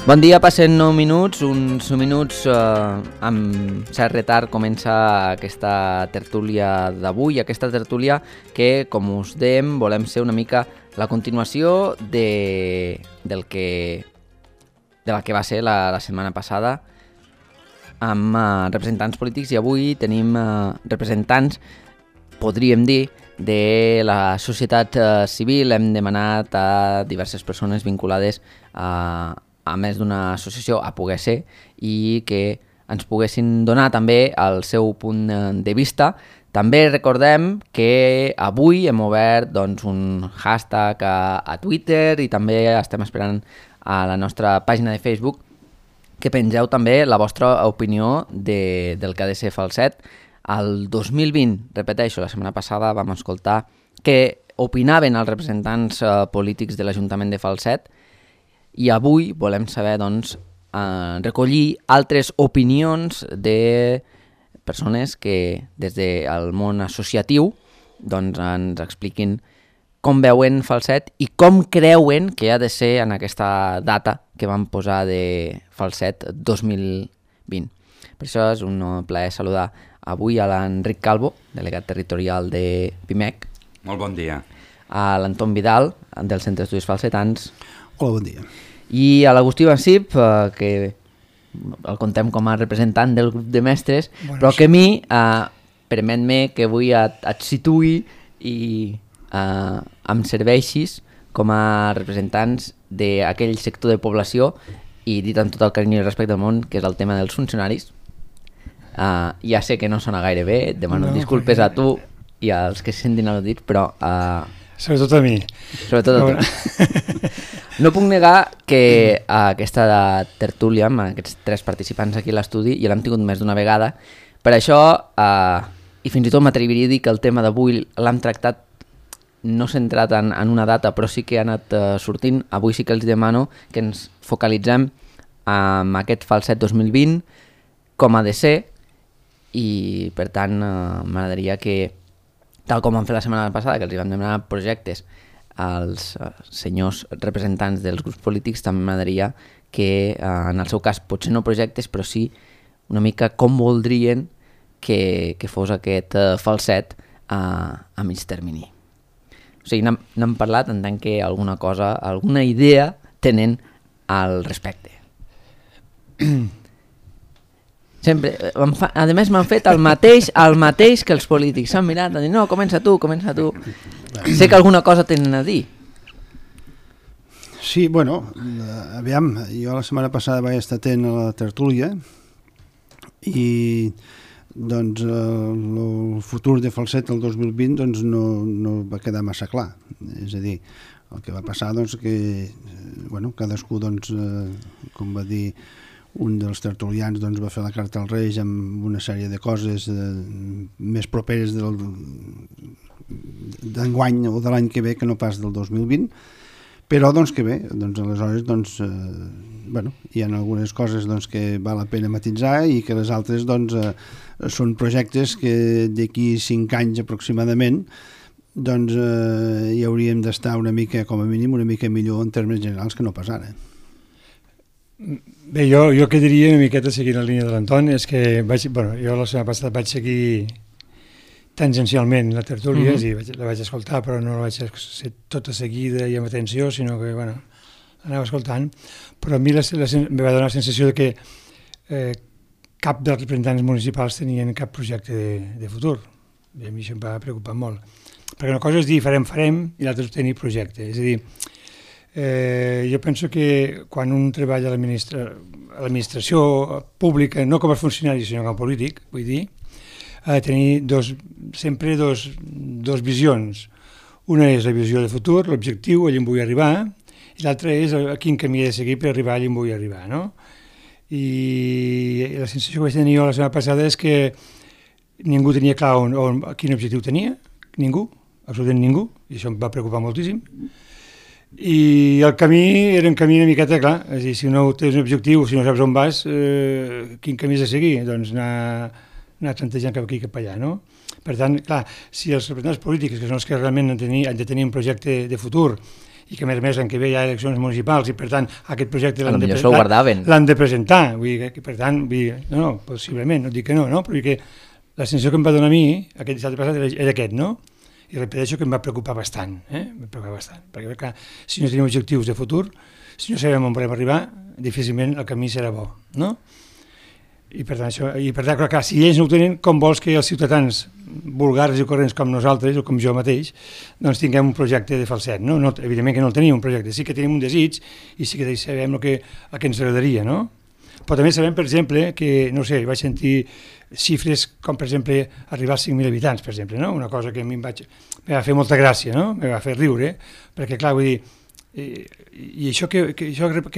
Bon dia, passen 9 minuts, uns minuts amb cert retard comença aquesta tertúlia d'avui, aquesta tertúlia que, com us dèiem, volem ser una mica la continuació de la que va ser la setmana passada amb representants polítics, i avui tenim representants, podríem dir, de la societat civil. Hem demanat a diverses persones vinculades a més d'una associació a poder ser i que ens poguessin donar també el seu punt de vista. També recordem que avui hem obert un hashtag a Twitter i també estem esperant a la nostra pàgina de Facebook que pengeu també la vostra opinió del que ha de ser Falset. El 2020, repeteixo, la setmana passada vam escoltar què opinaven els representants polítics de l'Ajuntament de Falset, i avui volem saber, recollir altres opinions de persones que des del món associatiu ens expliquin com veuen Falset i com creuen que ha de ser en aquesta data que vam posar de Falset 2020. Per això és un plaer saludar avui a l'Enric Calvo, delegat territorial de PIMEC. Molt bon dia. A l'Anton Vidal, del Centre d'Estudis Falsetans. Hola, bon dia. I a l'Agustí Bansip, que el contem com a representant del grup de mestres, però que a mi, permet-me que avui et situï i em serveixis com a representants d'aquell sector de població, i dit amb tot el carinyo i respecte del món, que és el tema dels funcionaris. Ja sé que no sona gaire bé, et demano disculpes a tu i als que se sentin al·ludits, però... Sobretot a mi. Sobretot a tu. No puc negar que aquesta tertúlia amb aquests tres participants aquí a l'estudi ja l'hem tingut més d'una vegada. Per això, i fins i tot m'atreviria a dir que el tema d'avui l'hem tractat no centrat en una data, però sí que ha anat sortint. Avui sí que els demano que ens focalitzem en aquest Falset 2020, com ha de ser, i per tant m'agradaria que, tal com vam fer la setmana passada, que els vam demanar projectes als senyors representants dels grups polítics, també m'agradaria que, en el seu cas, potser no projectes, però sí una mica com voldrien que fos aquest Falset a mig termini. O sigui, n'hem parlat en tant que alguna cosa, alguna idea tenen al respecte. Sempre, a més m'han fet el mateix que els polítics. S'han mirat, han dit, no, comença tu. Sé que alguna cosa tenen a dir. Sí, bueno, aviam, jo la setmana passada vaig estar atent a la tertúlia i doncs el futur de Falset el 2020 doncs no va quedar massa clar. És a dir, el que va passar doncs que cadascú doncs com va dir un dels tertulians doncs va fer la carta als Reis amb una sèrie de coses més properes d'enguany o de l'any que ve que no pas del 2020, però doncs que bé, doncs aleshores doncs hi ha algunes coses doncs que val la pena matisar i que les altres doncs són projectes que d'aquí 5 anys aproximadament doncs hi hauríem d'estar una mica, com a mínim, una mica millor en termes generals que no pas ara. Bé, jo que diria una miqueta seguint la línia de l'Anton és que jo la setmana passada vaig seguir tangencialment la tertúlia, la vaig escoltar, però no la vaig ser tota seguida i amb atenció, sinó que anava escoltant, però a mi em va donar la sensació de que cap dels representants municipals tenien cap projecte de futur, i a mi això em va preocupar molt, perquè una cosa és dir farem i l'altra és tenir projecte, és a dir, jo penso que quan un treballa a l'administració pública, no com a funcionari sinó com a polític, vull dir, ha de tenir sempre dos visions. Una és la visió de futur, l'objectiu, allà on vull arribar, i l'altra és a quin camí he de seguir per arribar allà on vull arribar, no? I la sensació que vaig tenir jo la setmana passada és que ningú tenia clar quin objectiu tenia, ningú, absolutament ningú, i això em va preocupar moltíssim. I el camí era un camí una miqueta clar, és a dir, si no tens un objectiu, si no saps on vas, quin camí has de seguir? Doncs anar plantejant cap aquí i cap allà, no? Per tant, clar, si els representants polítics, que són els que realment han de tenir un projecte de futur i que a més l'any que ve hi ha eleccions municipals i per tant aquest projecte l'han de presentar, vull dir que per tant, no, possiblement, no dic que no, però que la sensació que em va donar a mi aquest dissabte passat era aquest, no? I repeteixo que em va preocupar bastant, perquè clar, si no tenim objectius de futur, si no sabem on volem arribar, difícilment el camí serà bo, no? I per tant, clar, si ells no ho tenen, com vols que els ciutadans vulgars i corrents com nosaltres, o com jo mateix, doncs tinguem un projecte de falset, no? Evidentment que no el tenim, un projecte, sí que tenim un desig i sí que sabem el que ens agradaria, no? Però també sabem, per exemple, que, no sé, vaig sentir xifres com, per exemple, arribar als 5.000 habitants, per exemple, no? Una cosa que a mi em va fer molta gràcia, no? Em va fer riure, perquè, clar, vull dir, i això què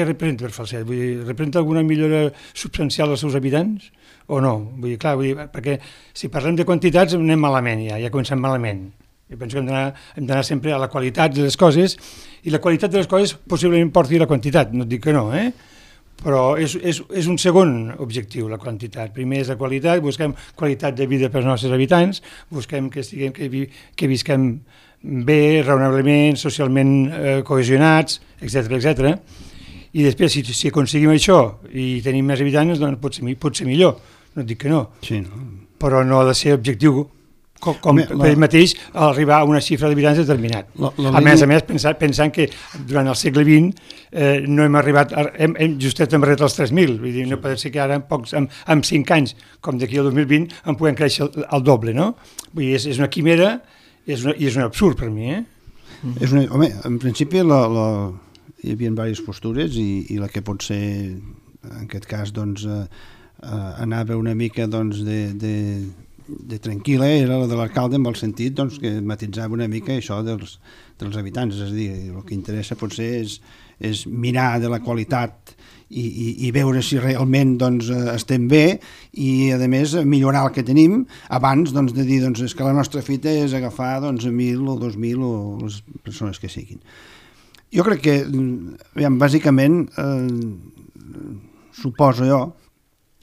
representa per Falset? Vull dir, representa alguna millora substancial als seus habitants o no? Vull dir, clar, perquè si parlem de quantitats anem malament ja comencem malament. Jo penso que hem d'anar sempre a la qualitat de les coses i la qualitat de les coses possiblement porti la quantitat, no et dic que no, però és un segon objectiu, la quantitat. Primer és la qualitat, busquem qualitat de vida per als nostres habitants, busquem que visquem bé, raonablement, socialment cohesionats, etc. I després, si aconseguim això i tenim més habitants, doncs pot ser millor, no et dic que no. Sí, no. Però no ha de ser objectiu per ell mateix arribar a una xifra d'habitants determinat. A més, pensant que durant el segle XX no hem arribat, justet hem arribat als 3.000, vull dir, no pot ser que ara en 5 anys, com d'aquí al 2020, en puguem créixer al doble, no? Vull dir, és una quimera i és un absurd per mi, Home, en principi hi havia diverses postures i la que pot ser, en aquest cas, doncs, anava una mica doncs, de tranquil·la era la de l'alcalde en el sentit doncs, que matitzava una mica això dels habitants, és a dir, el que interessa potser és mirar de la qualitat i veure si realment doncs, estem bé i a més millorar el que tenim abans doncs, de dir doncs, és que la nostra fita és agafar doncs, 1.000 o 2.000 o les persones que siguin. Jo crec que bàsicament suposo jo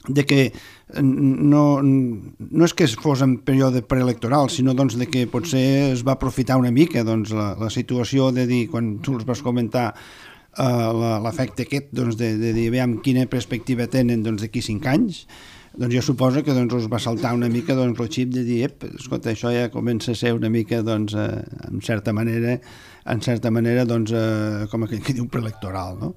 de que no és que fos en període preelectoral, sinó doncs, de que potser es va aprofitar una mica doncs, la situació de dir, quan tu els vas comentar l'efecte aquest doncs, de dir, veiem quina perspectiva tenen doncs, d'aquí 5 anys, doncs jo suposo que doncs, us va saltar una mica doncs, el xip de dir, escolta, això ja comença a ser una mica, doncs, en certa manera doncs, com que diu preelectoral, no?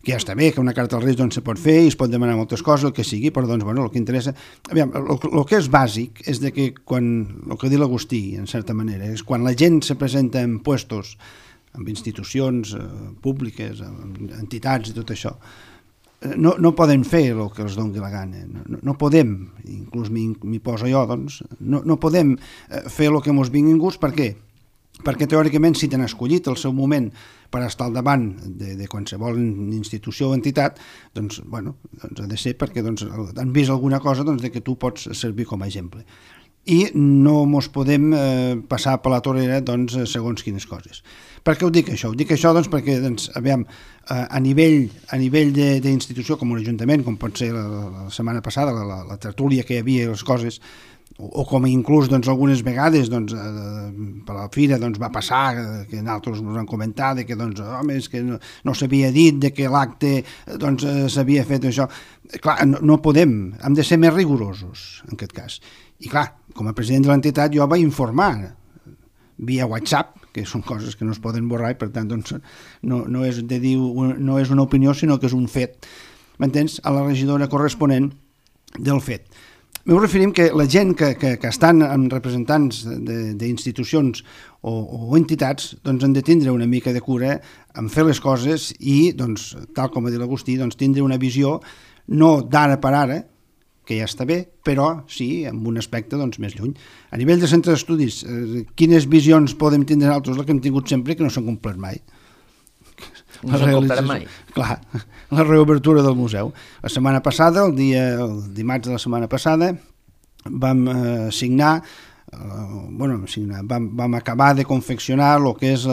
Que ja està bé, que una carta als Reis doncs, se pot fer i es pot demanar moltes coses, el que sigui, però doncs, bueno, el que interessa... Aviam, el que és bàsic és de que quan, el que diu l'Agustí, en certa manera, és quan la gent se presenta en puestos, amb institucions públiques, amb entitats i tot això, no poden fer el que els doni la gana, no podem, inclús m'hi poso jo, doncs, no podem fer el que ens vingui gust, per què? Perquè teòricament si t'han escollit el seu moment per estar al davant de qualsevol institució o entitat, doncs, bueno, doncs ha de ser perquè doncs, han vist alguna cosa doncs, de que tu pots servir com a exemple. I no ens podem passar per la torera doncs, segons quines coses. Per què ho dic això? Ho dic això doncs, perquè doncs, aviam, a nivell d'institució com un ajuntament, com pot ser la setmana passada, la tertúlia que hi havia, les coses, o com inclús doncs, algunes vegades doncs, per la fira doncs, va passar que nosaltres ens han comentat que doncs, home, és que no s'havia dit de que l'acte doncs, s'havia fet això. Clar, no podem, hem de ser més rigorosos en aquest cas. I clar, com a president de l'entitat jo vaig informar via WhatsApp, que són coses que no es poden borrar i per tant doncs, no és una opinió sinó que és un fet, m'entens? A la regidora corresponent del fet. M'ho referim que la gent que estan amb representants d'institucions o entitats doncs han de tindre una mica de cura en fer les coses i, doncs, tal com ha dit l'Agustí, doncs, tindre una visió no d'ara per ara, que ja està bé, però sí, amb un aspecte doncs, més lluny. A nivell de centre d'estudis, quines visions podem tindre nosaltres? La que hem tingut sempre que no s'han complert mai. No s'han complert mai? Clar, la reobertura del museu. La setmana passada, el dimarts de la setmana passada, vam signar, vam acabar de confeccionar el que és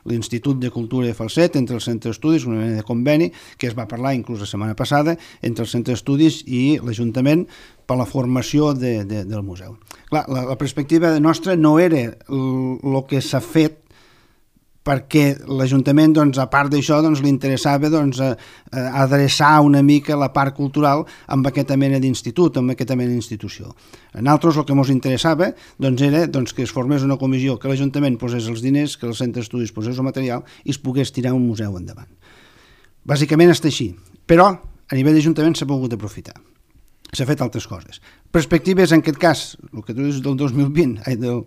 l'Institut de Cultura de Falset entre el centre d'estudis, una mena de conveni que es va parlar inclús la setmana passada entre el centre d'estudis i l'Ajuntament per la formació del museu. Clar, la perspectiva nostra no era el que s'ha fet perquè l'Ajuntament, doncs, a part d'això, doncs, li interessava doncs, adreçar una mica la part cultural amb aquesta mena d'institut, amb aquesta mena d'institució. A nosaltres el que ens interessava doncs, era doncs, que es formés una comissió, que l'Ajuntament posés els diners, que el centre d'estudis posés el material i es pogués tirar un museu endavant. Bàsicament està així, però a nivell d'Ajuntament s'ha pogut aprofitar. S'ha fet altres coses. Perspectives, en aquest cas, el que tu dius del 2020, del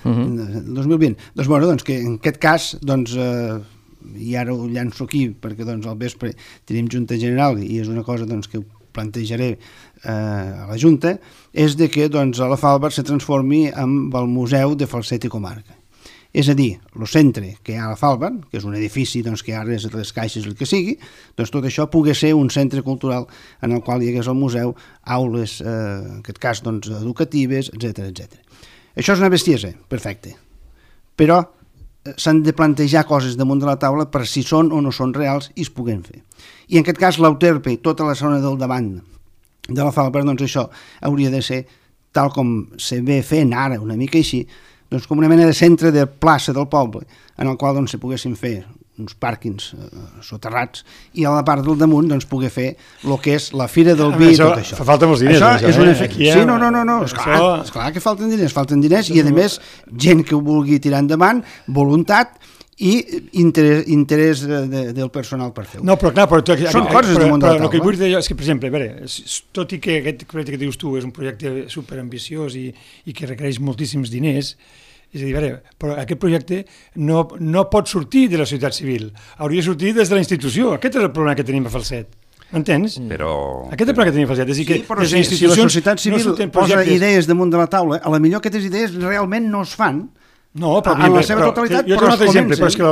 2020, doncs, bueno, doncs que en aquest cas, doncs, i ara ho llanço aquí, perquè doncs, al vespre tenim Junta General i és una cosa doncs, que ho plantejaré a la Junta, és de que doncs, a la Falber se transformi en el Museu de Falset i Comarca. És a dir, el centre que hi ha a la Falber, que és un edifici doncs, que ara és les caixes el que sigui, doncs tot això pugui ser un centre cultural en el qual hi hagués el museu, aules, en aquest cas doncs, educatives, etc. Això és una bestiesa, perfecte, però s'han de plantejar coses damunt de la taula per si són o no són reals i es puguen fer. I en aquest cas l'Euterpe i tota la zona del davant de la Falber, doncs això hauria de ser tal com se ve fent ara, una mica així, doncs com una mena de centre de plaça del poble en el qual doncs, se poguessin fer uns pàrquings soterrats i a la part del damunt doncs, poder fer el que és la Fira del Vi i tot això. Fa falta molts diners. Això és un efecte. Sí, no. Esclar que falten diners i a més gent que ho vulgui tirar endavant, voluntat i interès del personal per fer-ho. No, però clar, són coses del món de la taula. El que vull dir és que, per exemple, a veure, tot i que aquest projecte que dius tu és un projecte superambiciós i que requereix moltíssims diners, és a dir, a veure, però aquest projecte no pot sortir de la societat civil, hauria de sortir des de la institució. Aquest és el problema que tenim a Falset. M'entens? Però... Aquest és el problema que tenim a Falset. És a dir, que però si la societat civil posa idees damunt de la taula, a la millor aquestes idees realment no es fan. No, però, en la seva totalitat, però es comencen. Però és que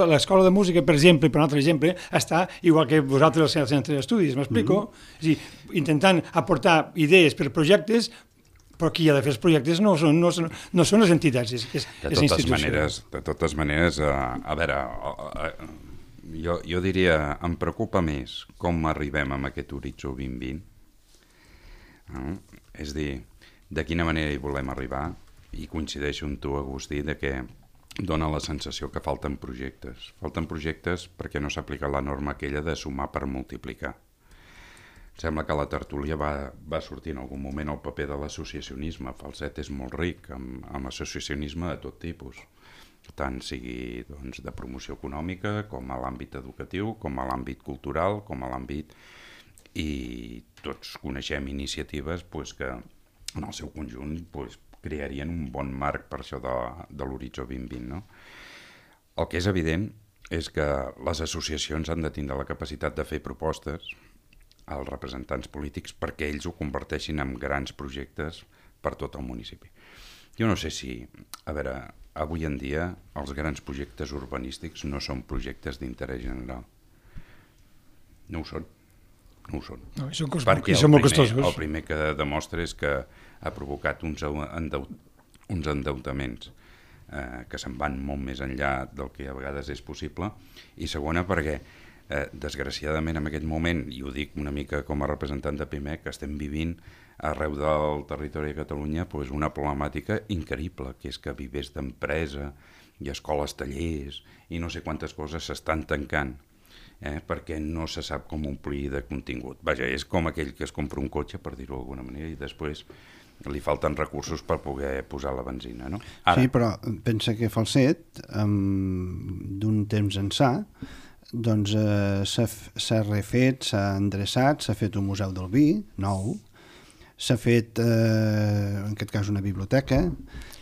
l'escola de música, per exemple, per un altre exemple, està igual que vosaltres al centre d'estudis, m'explico? És a dir, intentant aportar idees per projectes, però qui ha de fer els projectes no són les entitats, és institució. De totes maneres, a veure, jo diria, em preocupa més com arribem a aquest horitzó 2020, és a dir, de quina manera hi volem arribar, i coincideixo amb tu, Agustí, de que dona la sensació que falten projectes. Falten projectes perquè no s'ha aplicat la norma aquella de sumar per multiplicar. Sembla que a la tertúlia va sortir en algun moment el paper de l'associacionisme. Falset és molt ric amb associacionisme de tot tipus, tant sigui doncs, de promoció econòmica, com a l'àmbit educatiu, com a l'àmbit cultural, com a l'àmbit... I tots coneixem iniciatives pues, que en el seu conjunt pues, crearien un bon marc per això de l'horitzó 2020. No? El que és evident és que les associacions han de tindre la capacitat de fer propostes als representants polítics perquè ells ho converteixin en grans projectes per tot el municipi. Jo no sé si, a veure, avui en dia els grans projectes urbanístics no són projectes d'interès general. No ho són. No ho són. No, perquè el primer que demostra és que ha provocat uns endeutaments que se'n van molt més enllà del que a vegades és possible, i segona perquè desgraciadament en aquest moment, i ho dic una mica com a representant de PIMEC, estem vivint arreu del territori de Catalunya pues, una problemàtica increïble, que és que vivers d'empresa i escoles tallers i no sé quantes coses s'estan tancant perquè no se sap com omplir de contingut. Vaja, és com aquell que es compra un cotxe, per dir-ho d'alguna manera, i després li falten recursos per poder posar la benzina, no? Ara... Sí, però pensa que Falset, d'un temps ençà, doncs s'ha refet, s'ha endreçat, s'ha fet un museu del vi, nou, s'ha fet, en aquest cas, una biblioteca,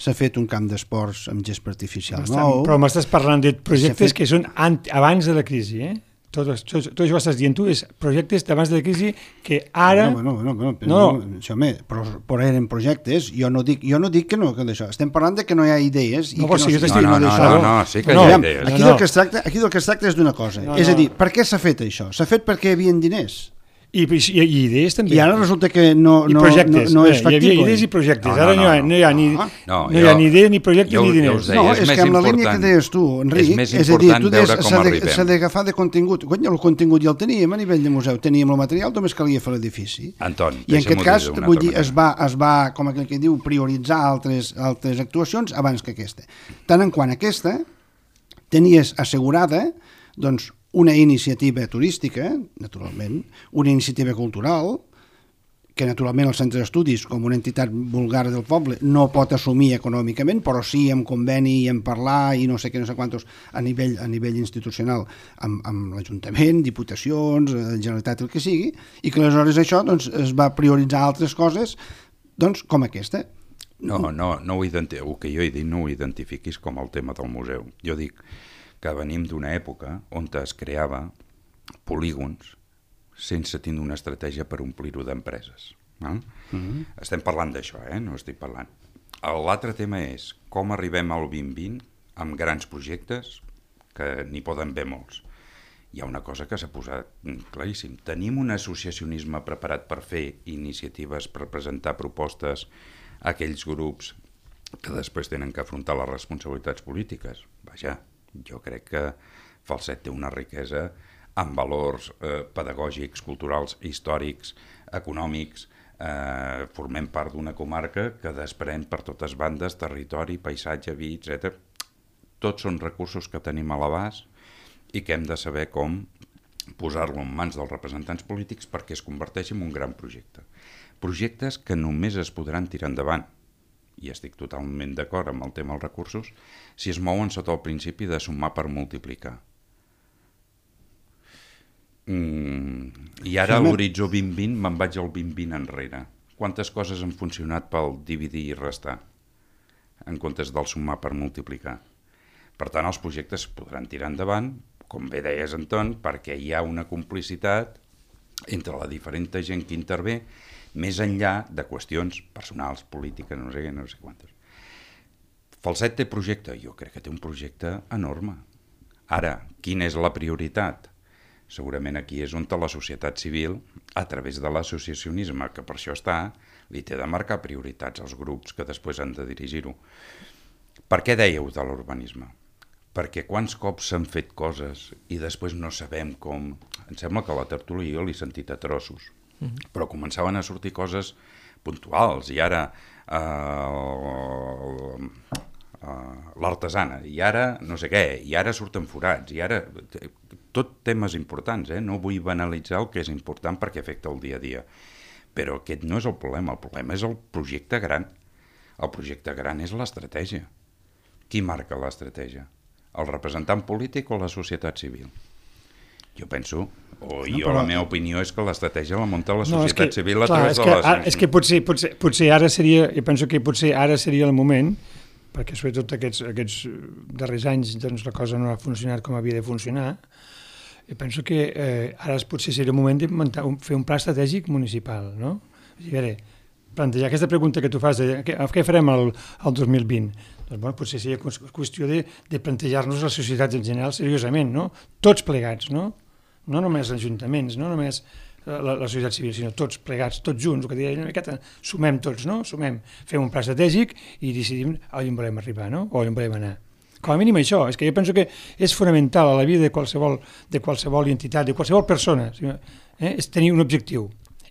s'ha fet un camp d'esports amb gespa artificial nou... Però m'estàs parlant de projectes que són abans de la crisi, eh? Tot això que estàs dient tu és projectes d'abans de la crisi que ara... Però eren projectes, jo no dic que no, que d'això. Estem parlant de que no hi ha idees. No, sí que hi ha idees. Aquí del que es tracta és d'una cosa. És a dir, per què s'ha fet això? S'ha fet perquè hi havia diners. I idees també. I ara resulta que no és factible. Hi havia idees i projectes. Ara no hi ha ni idees, ni projectes, ni diners. No, és que amb la línia que deies tu, Enric, és a dir, s'ha d'agafar de contingut. El contingut ja el teníem a nivell de museu, teníem el material, només calia fer l'edifici. I en aquest cas, vull dir, es va, com aquell que diu, prioritzar altres actuacions abans que aquesta. Tant en quant aquesta, tenies assegurada doncs, una iniciativa turística, naturalment, una iniciativa cultural, que naturalment el centre d'estudis, com una entitat vulgar del poble, no pot assumir econòmicament, però sí en conveni i en parlar i no sé què, no sé quantos, a nivell institucional, amb l'Ajuntament, diputacions, Generalitat, el que sigui, i que aleshores això doncs, es va prioritzar altres coses doncs, com aquesta. No, el que jo he dit no ho identifiquis com el tema del museu. Jo dic que venim d'una època on es creava polígons sense tindre una estratègia per omplir-ho d'empreses. Estem parlant d'això, no estic parlant. L'altre tema és com arribem al 2020 amb grans projectes, que n'hi poden haver molts. Hi ha una cosa que s'ha posat claríssim. Tenim un associacionisme preparat per fer iniciatives, per presentar propostes a aquells grups que després tenen que afrontar les responsabilitats polítiques. Vaja, jo crec que Falset té una riquesa amb valors pedagògics, culturals, històrics, econòmics. Formem part d'una comarca que desprèn per totes bandes territori, paisatge, vi, etc. Tots són recursos que tenim a l'abast i que hem de saber com posar-lo en mans dels representants polítics perquè es converteixi en un gran projecte. Projectes que només es podran tirar endavant, i estic totalment d'acord amb el tema dels recursos, si es mouen sota el principi de sumar per multiplicar. I ara a l'horitzó 2020 me'n vaig al 2020 enrere. Quantes coses han funcionat pel dividir i restar en comptes del sumar per multiplicar? Per tant, els projectes podran tirar endavant, com bé deies, Anton, perquè hi ha una complicitat entre la diferent gent que intervé, més enllà de qüestions personals, polítiques, no sé quantes. Falset té projecte? Jo crec que té un projecte enorme. Ara, quina és la prioritat? Segurament aquí és on la societat civil, a través de l'associacionisme, que per això està, li té de marcar prioritats als grups que després han de dirigir-ho. Per què dèieu de l'urbanisme? Perquè quants cops s'han fet coses i després no sabem com... Em sembla que a la tertúlia jo l'he sentit a trossos, però començaven a sortir coses puntuals, i ara l'artesana, i ara no sé què, i ara surten forats, i ara... Tot temes importants, no vull banalitzar el que és important perquè afecta el dia a dia. Però aquest no és el problema és el projecte gran. El projecte gran és l'estratègia. Qui marca l'estratègia? El representant polític o la societat civil? Jo penso, la meva opinió és que l'estratègia la munta la societat civil a través de les... És que potser ara seria, jo penso que potser ara seria el moment, perquè sobretot aquests darrers anys doncs, la cosa no ha funcionat com havia de funcionar. Jo penso que ara potser seria el moment de fer un pla estratègic municipal, no? A veure, plantejar aquesta pregunta que tu fas de què farem el 2020, doncs bueno, potser seria qüestió de plantejar-nos les societats en general seriosament, no? Tots plegats, no? No només els ajuntaments, no només la societat civil, sinó tots plegats, tots junts, el que deia una miqueta, sumem tots, no? Sumem, fem un pla estratègic i decidim on volem arribar, no? O on volem anar. Com a mínim això, és que jo penso que és fonamental a la vida de qualsevol entitat, de qualsevol persona, és tenir un objectiu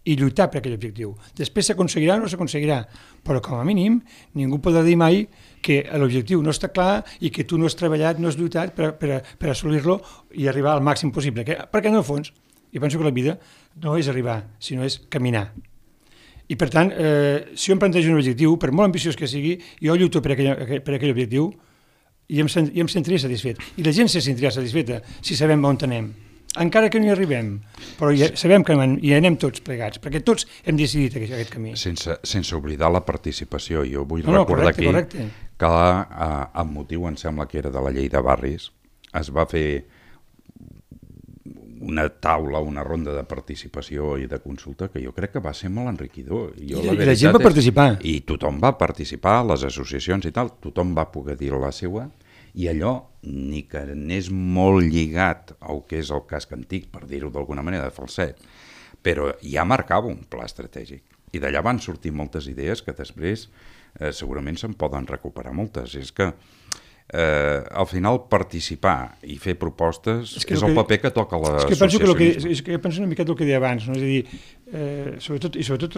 i lluitar per aquell objectiu. Després s'aconseguirà o no s'aconseguirà, però com a mínim ningú podrà dir mai que l'objectiu no està clar i que tu no has treballat, no has lluitat per assolir-lo i arribar al màxim possible. Perquè en el fons, jo penso que la vida no és arribar, sinó és caminar. I per tant, si jo em plantejo un objectiu, per molt ambiciós que sigui, jo lluito per aquell objectiu i em sentiria satisfet. I la gent se sentiria satisfeta si sabem on anem. Encara que no hi arribem, però ja sabem que hi anem tots plegats, perquè tots hem decidit aquest camí. Sense oblidar la participació. Jo vull recordar aquí que amb motiu, em sembla que era de la llei de barris, es va fer una taula, una ronda de participació i de consulta que jo crec que va ser molt enriquidor. I la gent va participar. I tothom va participar, les associacions i tal, tothom va poder dir la seva, i allò, ni que n'és molt lligat al que és el casc antic, per dir-ho d'alguna manera, de Falset, però ja marcava un pla estratègic. I d'allà van sortir moltes idees que després segurament se'n poden recuperar moltes. És que al final participar i fer propostes és el paper que toca l'associacionisme. És que jo penso una miqueta el que deia abans, no? És a dir, sobretot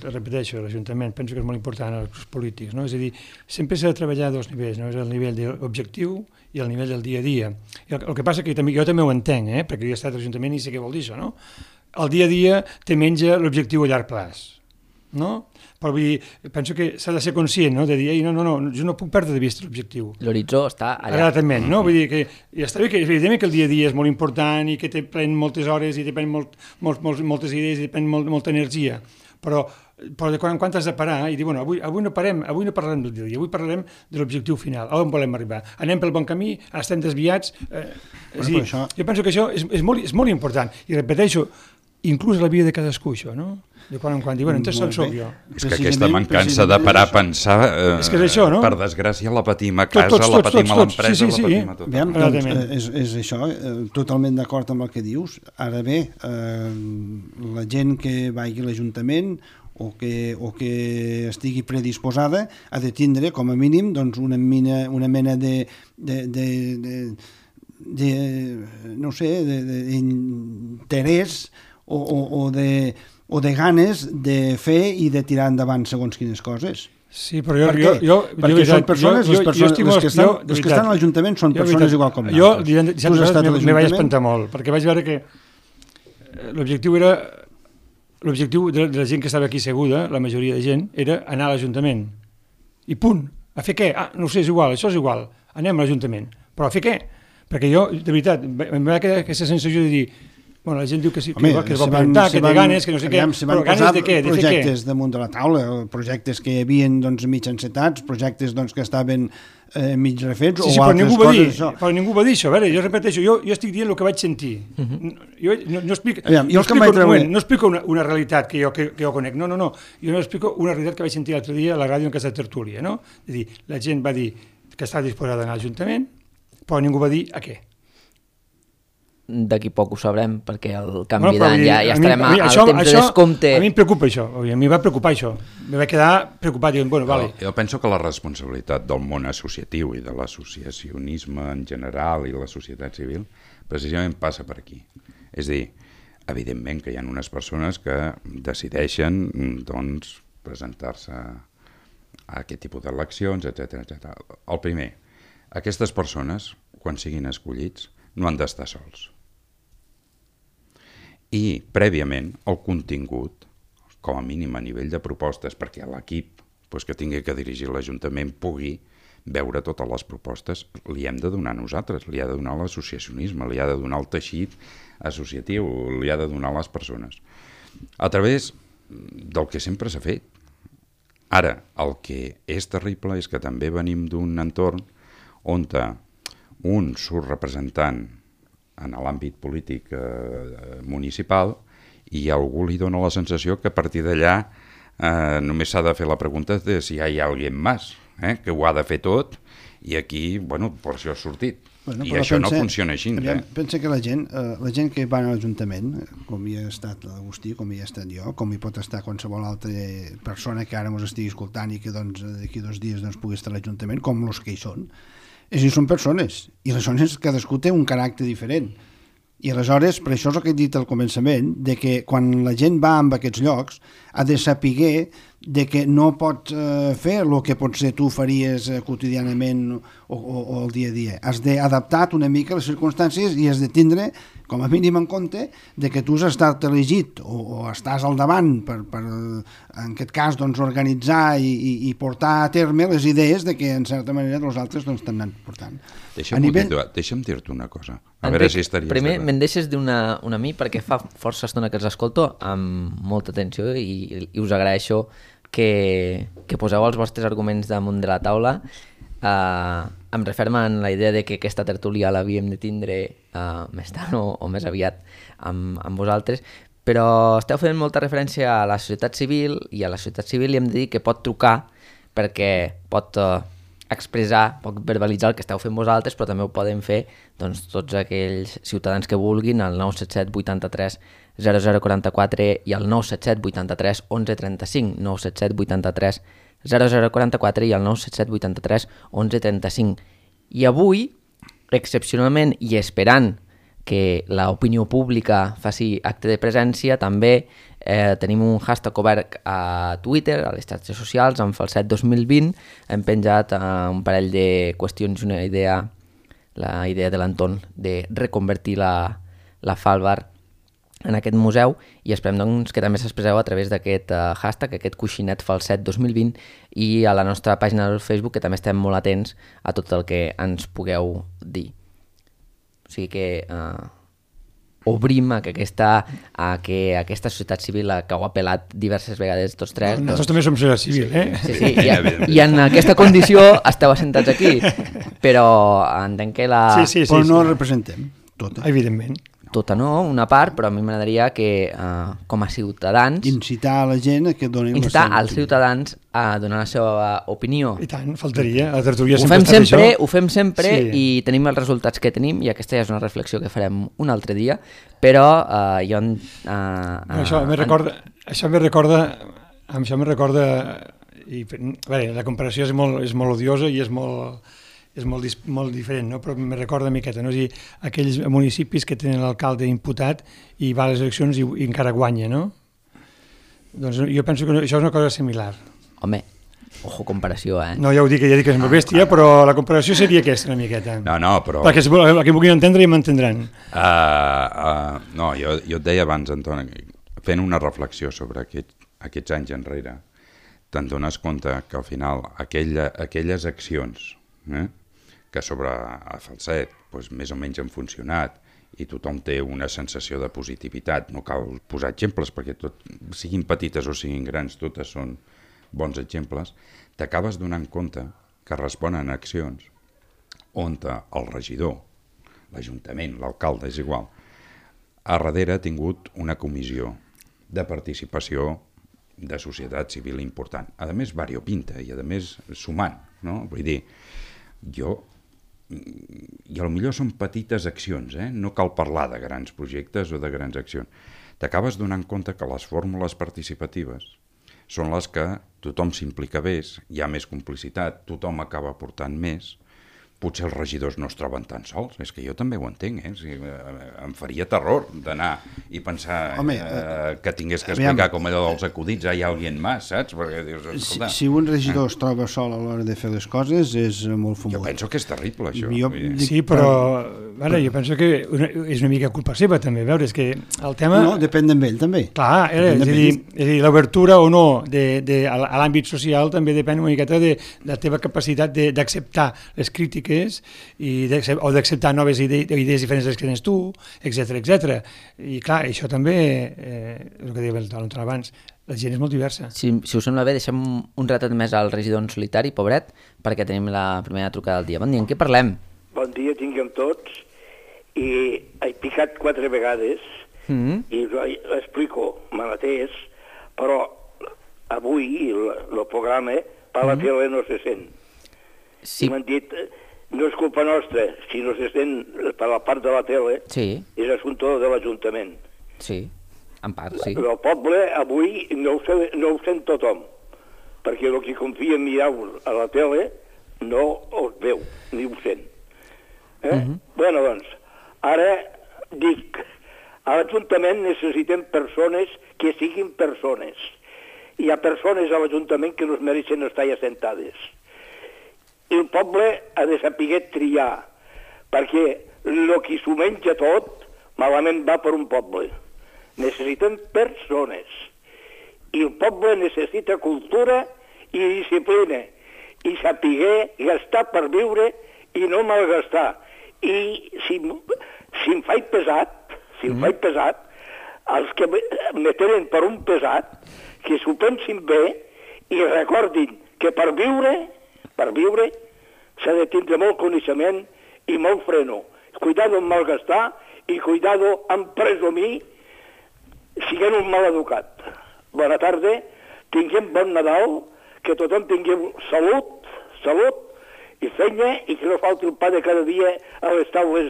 repeteixo, l'Ajuntament, penso que és molt important als polítics, no? És a dir, sempre s'ha de treballar a dos nivells, no? És el nivell de l'objectiu i el nivell del dia a dia. El que passa que jo també ho entenc, perquè jo he estat a l'Ajuntament i sé què vol dir això, no? El dia a dia te menja l'objectiu a llarg plaç, no? Però vull dir, penso que s'ha de ser conscient, no? De dir, no, jo no puc perdre de vista l'objectiu. L'horitzó està allà. Exactament, no? Vull dir que ja està bé que evidentment que el dia a dia és molt important i que te pren moltes hores i te pren moltes idees i te pren molta energia, però de quan en quan has de parar i dir, bueno, avui no parlarem del dia a dia, avui parlarem de l'objectiu final, on volem arribar. Anem pel bon camí, estem desviats... Jo penso que això és molt important i repeteixo, inclús la vida de cadascú, això, no? De quan en quan diuen, entonces on soc jo? És que aquesta mancança de parar a pensar, és que és això, no? Per desgràcia la patim a casa, la patim a l'empresa, la patim a tot. Doncs, és això, totalment d'acord amb el que dius. Ara bé, la gent que vagi a l'Ajuntament o que estigui predisposada ha de tindre, com a mínim, doncs, una mena no sé, d'interès o de ganes de fer i de tirar endavant segons quines coses. Sí, però perquè són persones, les que estan a l'Ajuntament són persones igual com nosaltres. Jo me vaig espantar molt, perquè vaig veure que l'objectiu de la gent que estava aquí seguda, la majoria de gent, era anar a l'Ajuntament. I punt. A fer què? No ho sé, és igual, això és igual. Anem a l'Ajuntament. Però a fer què? Perquè jo, de veritat, em va quedar aquesta sensació de dir, bueno, la gent diu que sí, que es vol preguntar, que té ganes, que no sé què, però ganes de què? Projectes damunt de la taula, projectes que hi havia mig encetats, projectes que estaven mig refets o altres coses. Però ningú va dir això, a veure, jo repeteixo, jo estic dient el que vaig sentir. Jo no explico una realitat que jo conec, no, jo no explico una realitat que vaig sentir l'altre dia a la ràdio en aquesta tertúlia, no? És a dir, la gent va dir que estava disposada a anar a l'Ajuntament, però ningú va dir a què. D'aquí poc ho sabrem, perquè el canvi d'any ja estarem al temps de descompte. A mi em preocupa això, a mi va preocupar això. Me vaig quedar preocupat, dient, bueno, vale. Jo penso que la responsabilitat del món associatiu i de l'associacionisme en general i la societat civil precisament passa per aquí. És a dir, evidentment que hi ha unes persones que decideixen doncs, presentar-se a aquest tipus d'eleccions, etc. El primer, aquestes persones, quan siguin escollits, no han d'estar sols. I, prèviament, el contingut, com a mínim a nivell de propostes, perquè l'equip que tingui que dirigir l'Ajuntament pugui veure totes les propostes, li hem de donar a nosaltres, li ha de donar l'associacionisme, li ha de donar el teixit associatiu, li ha de donar les persones. A través del que sempre s'ha fet. Ara, el que és terrible és que també venim d'un entorn on un surt representant en l'àmbit polític municipal i algú li dona la sensació que a partir d'allà només s'ha de fer la pregunta de si hi ha algú més, que ho ha de fer tot i aquí, bueno, per això ha sortit. I això no funciona així. Pensa que la gent que va a l'Ajuntament, com hi ha estat l'Agustí, com hi ha estat jo, com hi pot estar qualsevol altra persona que ara ens estigui escoltant i que d'aquí 2 dies pugui estar a l'Ajuntament, com els que hi són, és dir, són persones, i aleshores cadascú té un caràcter diferent. I aleshores, per això és el que he dit al començament, de que quan la gent va a aquests llocs ha de saber de que no pot fer el que potser tu faries quotidianament o el dia a dia. Has d'adaptar una mica les circumstàncies i has de tindre, com a mínim en compte, de que tu has estat elegit o estàs al davant per en aquest cas, organitzar i portar a terme les idees de que, en certa manera, els altres t'han anat portant. Deixa'm dir-te una cosa. A veure si estaries... Primer, me'n deixes dir una a mi, perquè fa força estona que els escolto amb molta atenció i us agraeixo que poseu els vostres arguments damunt de la taula. Em referma en la idea de que aquesta tertúlia l'havíem de tindre més tard o més aviat amb vosaltres, però esteu fent molta referència a la societat civil, i a la societat civil li hem de dir que pot trucar perquè pot expressar, pot verbalitzar el que esteu fent vosaltres, però també ho poden fer tots aquells ciutadans que vulguin al 977 83 0044 i al 977 83 1135, 977 83 0044 i al 977 83 1135. I avui, excepcionalment i esperant que l'opinió pública faci acte de presència, també tenim un hashtag obert a Twitter, a les xarxes socials, en Falset 2020. Hem penjat un parell de qüestions i una idea, la idea de l'Anton, de reconvertir la Falbar en aquest museu, i esperem doncs, que també s'expresseu a través d'aquest hashtag, aquest coixinet Falset 2020, i a la nostra pàgina del Facebook, que també estem molt atents a tot el que ens pugueu dir. O sigui que obrim a que aquesta societat civil que ho ha apel·lat diverses vegades tots tres. Nosaltres també som societat civil, Sí, i en aquesta condició esteu assentats aquí, però entenc que Però no representem tota. Evidentment. Tota no, una part, però a mi m'agradaria que com a ciutadans... Incitar a la gent a que donin la seva Incitar als ciutadans a donar la seva opinió. I tant, faltaria. A la tertúlia Ho fem sempre sí. I tenim els resultats que tenim, i aquesta ja és una reflexió que farem un altre dia, però jo... Això me recorda i, bé, la comparació és molt odiosa i és molt diferent, no? Però me recorda una miqueta, no? És a dir, aquells municipis que tenen l'alcalde imputat i va a les eleccions i encara guanya, no? Doncs jo penso que això és una cosa similar. Home, ojo comparació, No, ja dic que és molt bèstia, però la comparació seria aquesta una miqueta. No, però... Perquè que vulguin entendre ja m'entendran. No, jo et deia abans, Anton, fent una reflexió sobre aquests anys enrere, te'n dones compte que al final aquelles accions que sobre a Falset més o menys han funcionat i tothom té una sensació de positivitat, no cal posar exemples perquè siguin petites o siguin grans, totes són bons exemples, t'acabes donant compte que responen a accions on el regidor, l'Ajuntament, l'alcalde, és igual, a darrere ha tingut una comissió de participació de societat civil important, a més variopinta i a més sumant, no? Vull dir, i potser són petites accions, no cal parlar de grans projectes o de grans accions. T'acabes donant compte que les fórmules participatives són les que tothom s'implica més, hi ha més complicitat, tothom acaba aportant més, potser els regidors no es troben tan sols, és que jo també ho entenc, em faria terror d'anar i pensar que tingués que explicar com allò dels acudits, hi ha algú més, saps? Perquè dius, escolta... Si un regidor es troba sol a l'hora de fer les coses és molt fumós. Jo penso que és terrible, això. Sí, però jo penso que és una mica culpa seva, també, veure, és que el tema... No, depèn d'ell, també. Clar, és a dir, l'obertura o no a l'àmbit social també depèn una miqueta de la teva capacitat d'acceptar les crítiques o d'acceptar noves idees diferents de les que tens tu, etc. I clar, això també, el que deia l'Anton abans, la gent és molt diversa. Si us sembla bé, deixem un ratet més al regidor en solitari, pobret, perquè tenim la primera trucada del dia. Bon dia, en què parlem? Bon dia, tinguem tots. I he picat 4 vegades i l'explico, me l'atès, però avui el programa per la tele no se sent. Sí. I m'han dit... No és culpa nostra, si no se sent per la part de la tele, és assumpte de l'Ajuntament. Sí, en part, sí. El poble avui no ho sent tothom, perquè el que confia en mirar a la tele no els veu, ni ho sent. Bueno, doncs, ara dic, a l'Ajuntament necessitem persones que siguin persones. Hi ha persones a l'Ajuntament que no es mereixen estar assentades. I el poble ha de saber triar, perquè el que s'ho menja tot malament va per un poble. Necessitem persones. I el poble necessita cultura i disciplina, i saber gastar per viure i no malgastar. I si em faig pesat, els que me tenen per un pesat, que s'ho pensin bé i recordin que per viure s'ha de tindre molt coneixement i molt freno. Cuidado en malgastar i cuidado en presumir, siguent un mal educat. Bona tarda, tinguem bon Nadal, que tothom tingui salut i feina i que no falti el pa de cada dia a les taules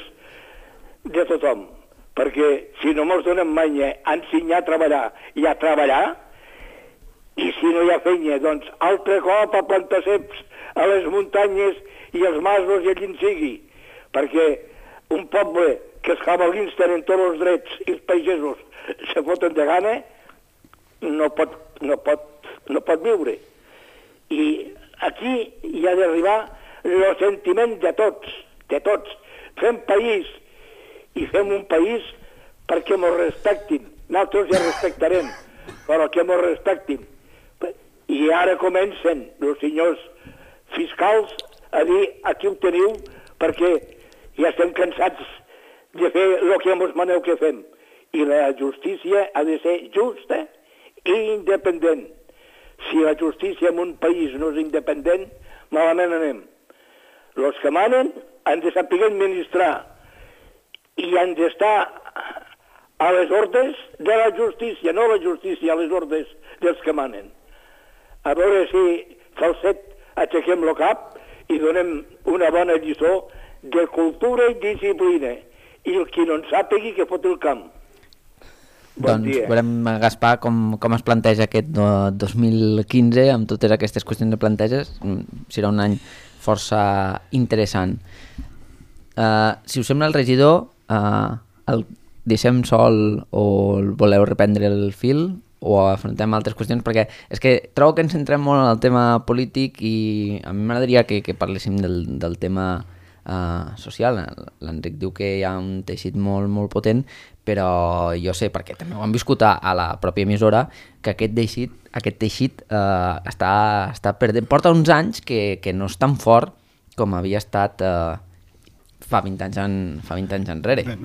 de tothom. Perquè si no mos donem manya a ensenyar a treballar i a treballar, i si no hi ha feina, doncs altre cop a plantar ceps a les muntanyes i els masos i allí en sigui, perquè un poble que els cavalins tenen tots els drets i els pagesos se foten de gana, no pot viure. I aquí hi ha d'arribar el sentiment de tots. Fem país, i fem un país perquè mos respectin. Nosaltres ja respectarem, però que mos respectin. I ara comencen els senyors fiscals a dir aquí ho teniu perquè ja estem cansats de fer el que mos maneu que fem. I la justícia ha de ser justa i independent. Si la justícia en un país no és independent, malament anem. Els que manen han de saber administrar i han d'estar a les ordres de la justícia, no la justícia, a les ordres dels que manen. A veure si Falset aixequem el cap i donem una bona lliçó de cultura i disciplina. I el qui no en sàpigui que fot el camp. Bon doncs dia. veurem, Gaspar, com es planteja aquest 2015 amb totes aquestes qüestions de planteges. Serà un any força interessant. Si us sembla, el regidor, el deixem sol o el voleu reprendre el fil o afrontem altres qüestions, perquè és que trobo que ens centrem molt en el tema polític i a mi m'agradaria que parléssim del tema social. L'Enric diu que hi ha un teixit molt, molt potent, però jo sé, perquè també ho han viscut a la pròpia emissora, que aquest teixit està perdent. Porta uns anys que no és tan fort com havia estat fa 20 anys enrere. Bé,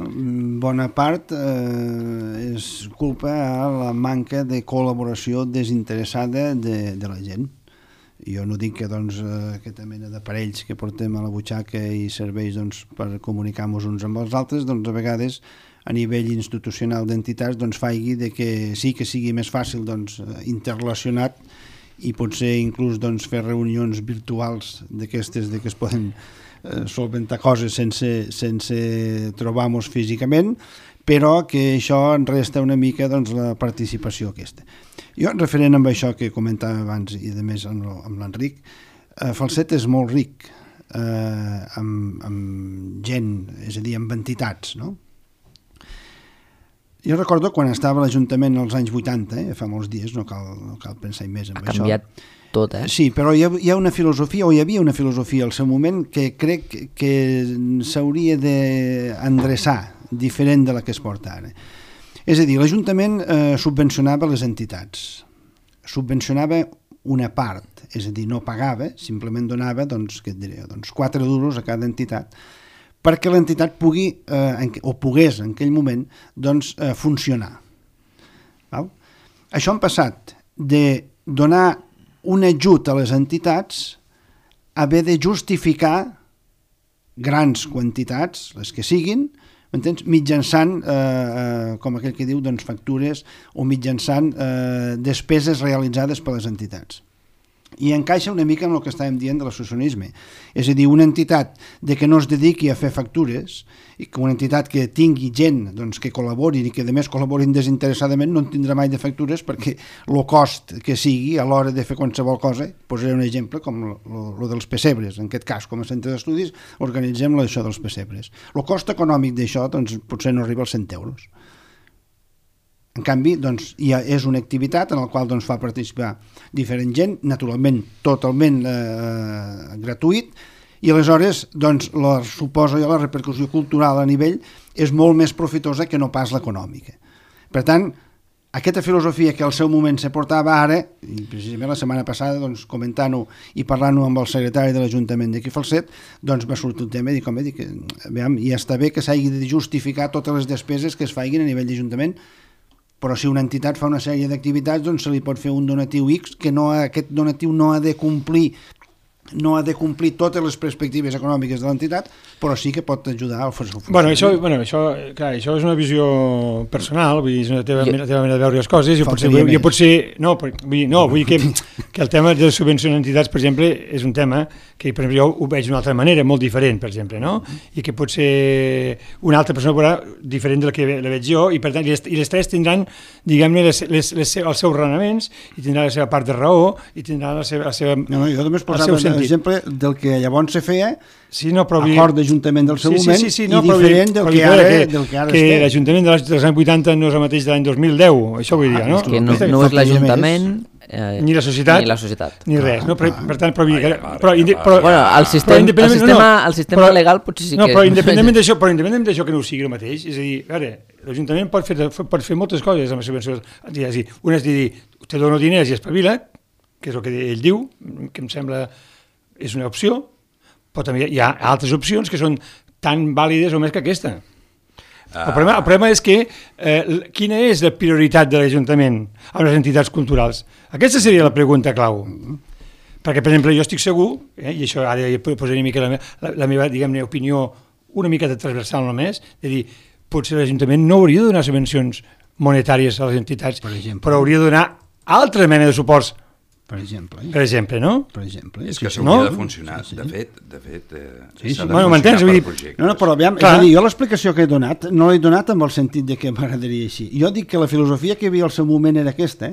bona part és culpa a la manca de col·laboració desinteressada de la gent. Jo no dic que aquesta mena d'aparells que portem a la butxaca i serveix per comunicar-nos uns amb els altres, a vegades a nivell institucional d'entitats faci que sí que sigui més fàcil interrelacionat i potser inclús fer reunions virtuals d'aquestes que es poden solventar coses sense trobar-nos físicament, però que això en resta una mica la participació aquesta. Jo, referent amb això que comentava abans i a més amb l'Enric, Falset és molt ric amb gent, és a dir, amb entitats, no? Jo recordo quan estava a l'Ajuntament als anys 80, fa molts dies, no cal pensar més en això. Ha canviat tot, Sí, però hi ha una filosofia, o hi havia una filosofia al seu moment que crec que s'hauria d'endreçar diferent de la que es porta ara. És a dir, l'Ajuntament subvencionava les entitats, subvencionava una part, és a dir, no pagava, simplement donava, què et diré, 4 duros a cada entitat, perquè l'entitat pugui, o pogués en aquell moment, funcionar. Val? Això ha passat de donar un ajut a les entitats a haver de justificar grans quantitats, les que siguin, m'entens? Mitjançant, com aquell que diu, factures o mitjançant despeses realitzades per les entitats. I encaixa una mica amb el que estàvem dient de l'associacionisme. És a dir, una entitat que no es dediqui a fer factures i que una entitat que tingui gent que col·laborin i que a més col·laborin desinteressadament no en tindrà mai de factures perquè el cost que sigui a l'hora de fer qualsevol cosa, posaré un exemple com el dels pessebres, en aquest cas com a centre d'estudis organitzem això dels pessebres. El cost econòmic d'això potser no arriba als 100 euros. En canvi, és una activitat en la qual fa participar diferent gent, naturalment totalment gratuït, i aleshores suposo jo la repercussió cultural a nivell és molt més profitosa que no pas l'econòmica. Per tant, aquesta filosofia que al seu moment se portava ara, i precisament la setmana passada comentant-ho i parlant-ho amb el secretari de l'Ajuntament d'aquí Falset, va sortir el tema i dic, ja està bé que s'hagi de justificar totes les despeses que es facin a nivell d'Ajuntament, però si una entitat fa una sèrie d'activitats se li pot fer un donatiu X que aquest donatiu no ha de complir totes les perspectives econòmiques de l'entitat, però sí que pot ajudar al funcionament. Això és una visió personal, vull dir, és una teva manera de veure les coses, vull dir que el tema de subvencionar entitats, per exemple, és un tema que per exemple, jo ho veig d'una altra manera, molt diferent, per exemple, no? I que potser una altra persona veurà diferent de la que la veig jo, i per tant, i les tres tindran, diguem-ne, els seus raonaments, i tindrà la seva part de raó, i tindrà el seu sentit. exemple, del que llavors se feia, però acord d'Ajuntament del seu moment, i diferent del que ara que l'Ajuntament dels anys 80 no és el mateix de l'any 2010, això vull dir, no? Que no és l'Ajuntament... ni la societat, ni res, no? Per tant, el sistema legal potser sí que... No, però independentment d'això que no ho sigui el mateix, és a dir, l'Ajuntament pot fer moltes coses amb les subvencions. Una és dir, te dono diners i espavila't, que és el que ell diu, que em sembla és una opció, però també hi ha altres opcions que són tan vàlides o més que aquesta. El problema és que quina és la prioritat de l'Ajuntament amb les entitats culturals? Aquesta seria la pregunta clau. Perquè, per exemple, jo estic segur, i això ara posaré una mica la meva, diguem-ne, opinió una mica transversal només, de dir, potser l'Ajuntament no hauria de donar subvencions monetàries a les entitats, però hauria de donar altra mena de suports. Per exemple, no? És que s'hauria de funcionar. De fet, s'ha de funcionar per projectes. No, però aviam, és a dir, jo l'explicació que he donat no l'he donat amb el sentit de que m'agradaria així. Jo dic que la filosofia que hi havia al seu moment era aquesta,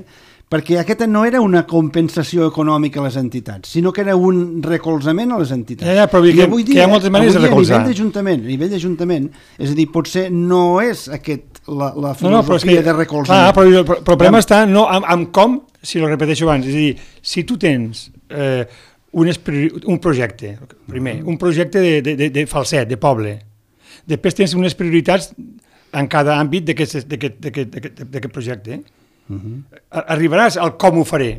perquè aquesta no era una compensació econòmica a les entitats, sinó que era un recolzament a les entitats. Però vull dir que hi ha moltes maneres de recolzar. A nivell d'Ajuntament, és a dir, potser no és la filosofia de recolzament. Però el problema està no amb com, si ho repeteixo abans, és a dir, si tu tens un projecte, primer, un projecte de falset, de poble, després tens unes prioritats en cada àmbit d'aquest projecte, arribaràs al com ho faré.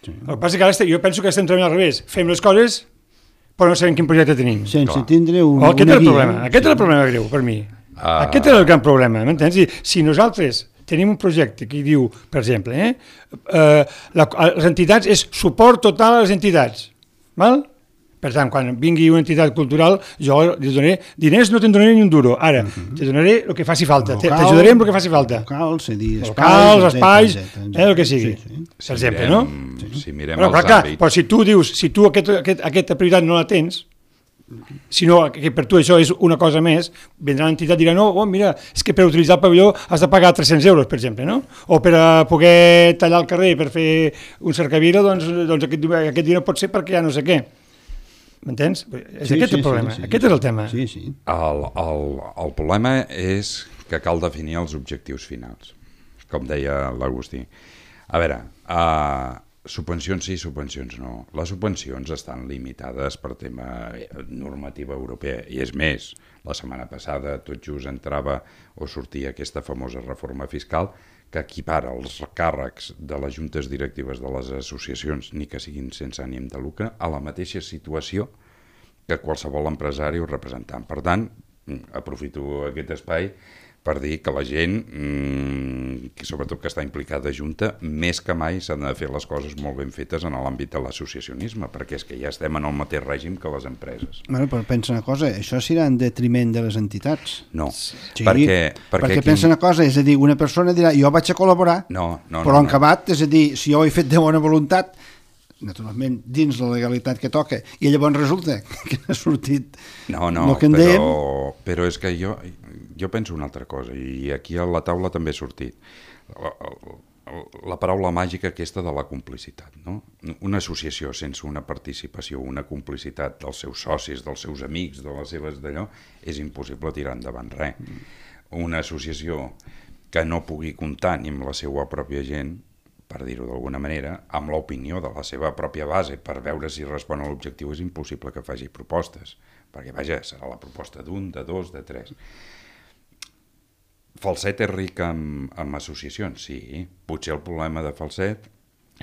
El que passa és que ara jo penso que estem treballant al revés, fem les coses però no sabem quin projecte tenim. Sense tindre una guia. Aquest és el problema greu per mi. Aquest és el gran problema, m'entens? Si nosaltres tenim un projecte que diu, per exemple, les entitats és suport total a les entitats, val? Per tant, quan vingui una entitat cultural, jo li donaré diners, no te'n donaré ni un duro. Ara, te donaré el que faci falta. T'ajudaré amb el que faci falta. Locals, espais, el que sigui. Per exemple, no? Si mirem els àmbits... Però si tu dius, si tu aquesta prioritat no la tens, sinó que per tu això és una cosa més, vindrà l'entitat i dirà, no, mira, és que per utilitzar el pavelló has de pagar 300 euros, per exemple, no? O per poder tallar el carrer per fer un cercavila, doncs aquest dia no pot ser perquè ja no sé què. M'entens? És aquest el problema, aquest és el tema. El problema és que cal definir els objectius finals, com deia l'Agustí. A veure, subvencions sí, subvencions no. Les subvencions estan limitades per tema normativa europea, i és més, la setmana passada tot just entrava o sortia aquesta famosa reforma fiscal que equipara els càrrecs de les juntes directives de les associacions, ni que siguin sense ànim de lucre, a la mateixa situació que qualsevol empresari o representant. Per tant, aprofito aquest espai per dir que la gent, sobretot que està implicada a Junta, més que mai s'han de fer les coses molt ben fetes en l'àmbit de l'associacionisme, perquè és que ja estem en el mateix règim que les empreses. Bueno, però pensa una cosa, això serà en detriment de les entitats. No, perquè pensa una cosa, és a dir, una persona dirà, jo vaig a col·laborar, però en acabat, és a dir, si jo ho he fet de bona voluntat, naturalment dins la legalitat que toca, i llavors resulta que ha sortit el que en dèiem. Però és que jo penso una altra cosa, i aquí a la taula també ha sortit la paraula màgica aquesta de la complicitat, no? Una associació sense una participació, una complicitat dels seus socis, dels seus amics, de les seves d'allò, és impossible tirar endavant res. Una associació que no pugui comptar ni amb la seva pròpia gent, per dir-ho d'alguna manera, amb l'opinió de la seva pròpia base per veure si respon a l'objectiu, és impossible que faci propostes, perquè, vaja, serà la proposta d'un, de dos, de tres. Falset és ric en associacions, sí. Potser el problema de Falset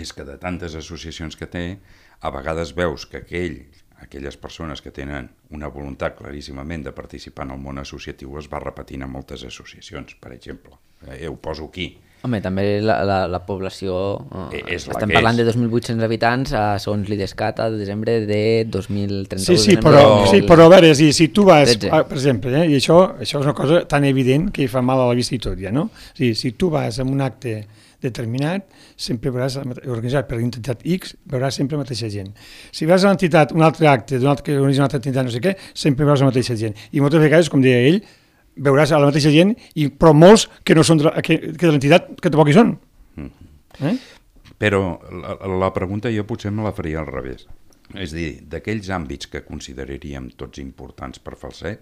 és que de tantes associacions que té, a vegades veus que aquelles persones que tenen una voluntat claríssimament de participar en el món associatiu es va repetint en moltes associacions, per exemple. Ho poso aquí. Home, també la població... Estem parlant de 2.800 habitants segons l'IDESCAT a desembre de 2031. Sí, però a veure, si tu vas, per exemple, i això és una cosa tan evident que fa mal a la vista i tot ja, no? Si tu vas a un acte determinat, sempre veuràs, organitzat per l'entitat X, veuràs sempre la mateixa gent. Si vas a l'entitat, un altre acte, que organitza una altra entitat, no sé què, sempre veuràs la mateixa gent. I moltes vegades, com deia ell, veuràs a la mateixa gent, però molts que no són de l'entitat que tampoc hi són. Però la pregunta jo potser me la faria al revés. És a dir, d'aquells àmbits que consideraríem tots importants per Falset,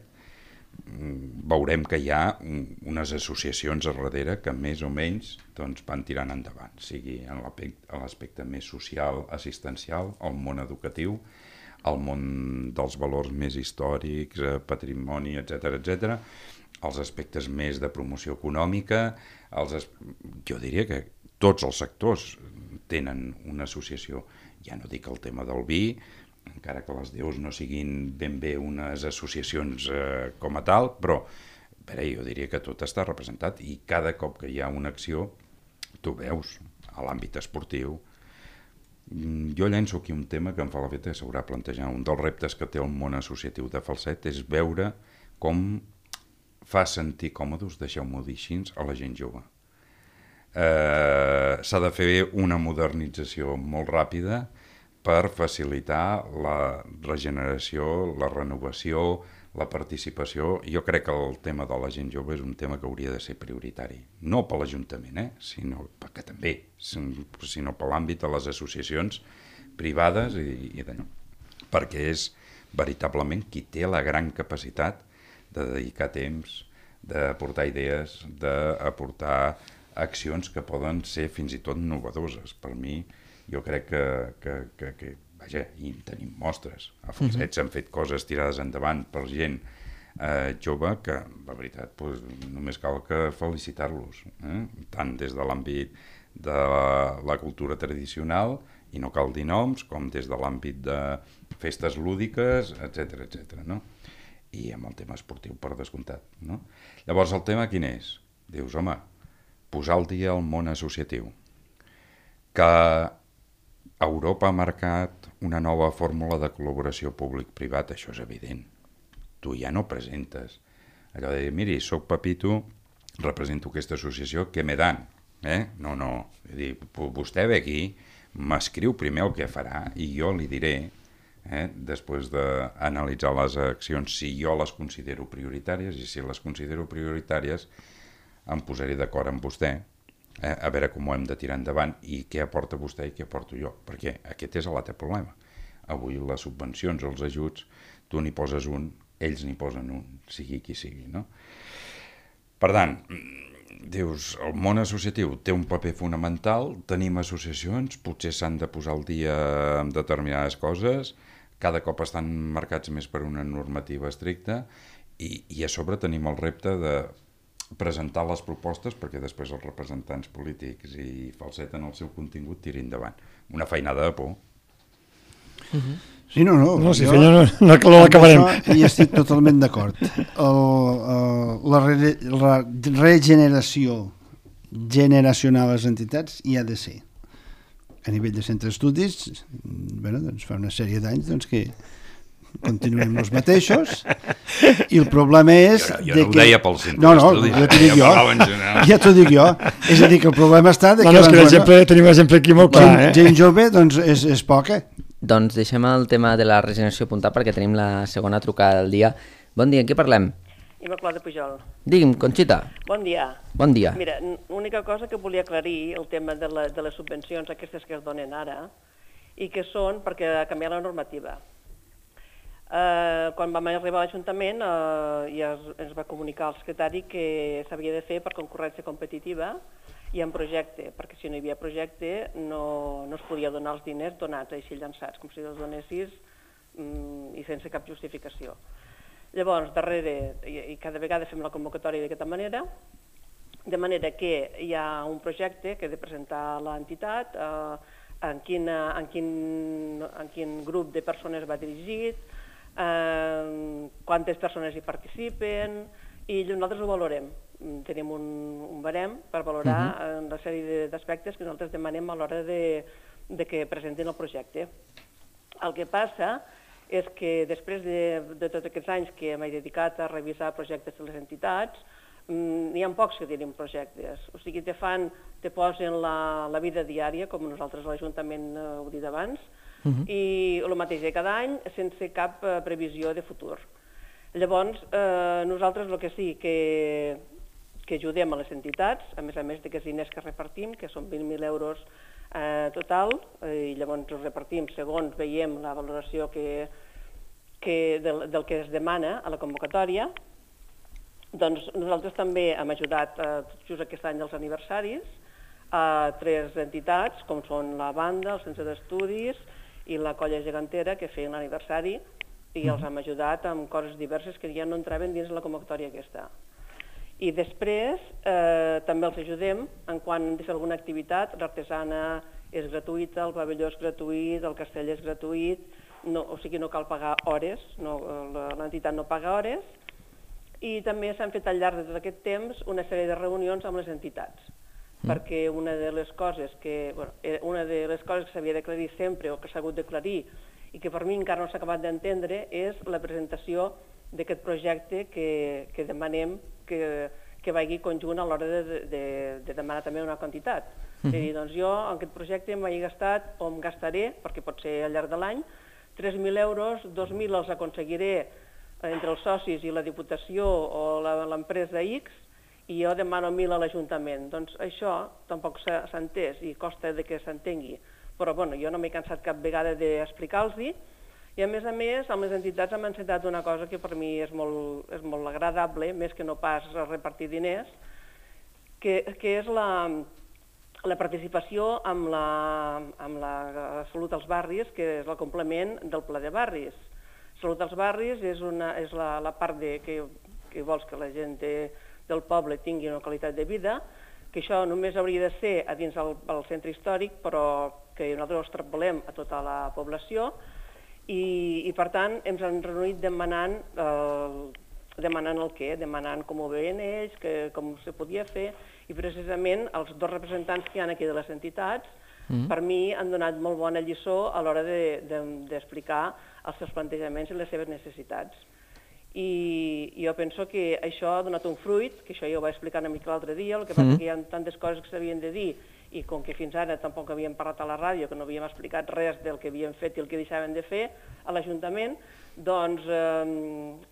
veurem que hi ha unes associacions a darrere que més o menys doncs, van tirant endavant, sigui en l'aspecte més social, assistencial, el món educatiu, el món dels valors més històrics, patrimoni, etc., els aspectes més de promoció econòmica, jo diria que tots els sectors tenen una associació. Ja no dic el tema del vi, encara que les deus no siguin ben bé unes associacions com a tal, però jo diria que tot està representat i cada cop que hi ha una acció, tu veus, a l'àmbit esportiu. Jo llenço aquí un tema que em fa l'efecte que s'haurà de plantejar. Un dels reptes que té el món associatiu de Falset és veure com fa sentir còmodes, deixeu-m'ho dir així, a la gent jove. S'ha de fer una modernització molt ràpida per facilitar la regeneració, la renovació, la participació. Jo crec que el tema de la gent jove és un tema que hauria de ser prioritari. No per l'Ajuntament, sinó que també, sinó per l'àmbit de les associacions privades i d'allò. Perquè és veritablement qui té la gran capacitat de dedicar temps, d'aportar idees, d'aportar accions que poden ser fins i tot innovadores. Per mi, jo crec que vaja, i en tenim mostres. A Falset s'han fet coses tirades endavant per gent jove que, la veritat, només cal que felicitar-los, tant des de l'àmbit de la cultura tradicional, i no cal dir noms, com des de l'àmbit de festes lúdiques, etc. No? I amb el tema esportiu, per descomptat. No? Llavors, el tema quin és? Dius, home, posar al dia el món associatiu. Que Europa ha marcat una nova fórmula de col·laboració públic-privat, això és evident. Tu ja no presentes allò de dir, miri, soc Pepito, represento aquesta associació, què me dan? No. És dir, vostè ve aquí, m'escriu primer el que farà i jo li diré, després d'analitzar les accions, si jo les considero prioritàries, i si les considero prioritàries em posaré d'acord amb vostè, a veure com ho hem de tirar endavant i què aporta vostè i què aporto jo, perquè aquest és l'altre problema. Avui les subvencions o els ajuts, tu n'hi poses un, ells n'hi posen un, sigui qui sigui, no? Per tant, dius, el món associatiu té un paper fonamental, tenim associacions, potser s'han de posar al dia amb determinades coses, cada cop estan marcats més per una normativa estricta i a sobre tenim el repte de presentar les propostes perquè després els representants polítics i Falset en el seu contingut tirin endavant. Una feinada de por. Sí, no. No, si feina no l'acabarem. Hi estic totalment d'acord. La regeneració generacional a les entitats hi ha de ser. A nivell de centre d'estudis, doncs fa una sèrie d'anys que continuem els mateixos i el problema és jo no ho deia pel centre d'estudis, ja t'ho dic jo, és a dir que el problema està és que tenim l'exemple aquí molt clar, gent jove doncs és poca. Doncs deixem el tema de la regeneració apuntat perquè tenim la segona trucada del dia. Bon dia, en què parlem? Immaculada Pujol. Digui'm, Conxita. Bon dia. Bon dia. Mira, l'única cosa que volia aclarir el tema de les subvencions aquestes que es donen ara i que són perquè ha canviat la normativa. Quan vam arribar a l'Ajuntament ja ens va comunicar el secretari que s'havia de fer per concurrència competitiva i en projecte, perquè si no hi havia projecte no es podia donar els diners donats així llançats, com si els donessis i sense cap justificació. Llavors, darrere, i cada vegada fem la convocatòria d'aquesta manera, de manera que hi ha un projecte que ha de presentar l'entitat, en quin grup de persones va dirigit, quantes persones hi participen, i nosaltres ho valorem. Tenim un barem per valorar una sèrie d'aspectes que nosaltres demanem a l'hora de que presentin el projecte. El que passa és que després de tots aquests anys que m'he dedicat a revisar projectes de les entitats, n'hi ha pocs que tenen projectes. O sigui, te posen la vida diària, com nosaltres a l'Ajuntament ho he dit abans, i el mateix de cada any sense cap previsió de futur. Llavors, nosaltres el que sí que ajudem a les entitats, a més d'aquests diners que repartim, que són 20.000 euros total, i llavors ho repartim segons veiem la valoració del que es demana a la convocatòria. Doncs nosaltres també hem ajudat just aquest any als aniversaris a 3 entitats, com són la banda, el Centre d'Estudis i la Colla Gegantera, que feien l'aniversari, i els hem ajudat amb coses diverses que ja no entraven dins la convocatòria aquesta. I després també els ajudem en quan hem de fer alguna activitat. L'artesana és gratuïta, el pavelló és gratuït, el castell és gratuït, o sigui no cal pagar hores, l'entitat no paga hores, i també s'han fet al llarg de tot aquest temps una sèrie de reunions amb les entitats, perquè una de les coses que s'havia d'aclarir sempre o que s'ha hagut d'aclarir i que per mi encara no s'ha acabat d'entendre és la presentació d'aquest projecte que demanem que vagi conjunt a l'hora de demanar també una quantitat. És a dir, doncs jo en aquest projecte m'he gastat o em gastaré, perquè pot ser al llarg de l'any, 3.000 euros, 2.000 els aconseguiré entre els socis i la Diputació o l'empresa X, i jo demano 1.000 a l'Ajuntament. Doncs això tampoc s'ha entès i costa que s'entengui. Però jo no m'he cansat cap vegada d'explicar-los-hi, i a més, amb les entitats hem encetat una cosa que per mi és molt agradable, més que no pas repartir diners, que és la participació amb la Salut als Barris, que és el complement del Pla de Barris. Salut als Barris és la part que vols que la gent del poble tingui una qualitat de vida, que això només hauria de ser a dins el centre històric, però que nosaltres ho extrapolem a tota la població, i per tant ens han reunit demanant el què, demanant com ho veien ells, com se podia fer, i precisament els 2 representants que hi ha aquí de les entitats, per mi han donat molt bona lliçó a l'hora d'explicar els seus plantejaments i les seves necessitats. I jo penso que això ha donat un fruit, que això ja ho vaig explicar una mica l'altre dia, el que passa que hi ha tantes coses que s'havien de dir, i com que fins ara tampoc havíem parlat a la ràdio, que no havíem explicat res del que havíem fet i el que deixaven de fer a l'Ajuntament, doncs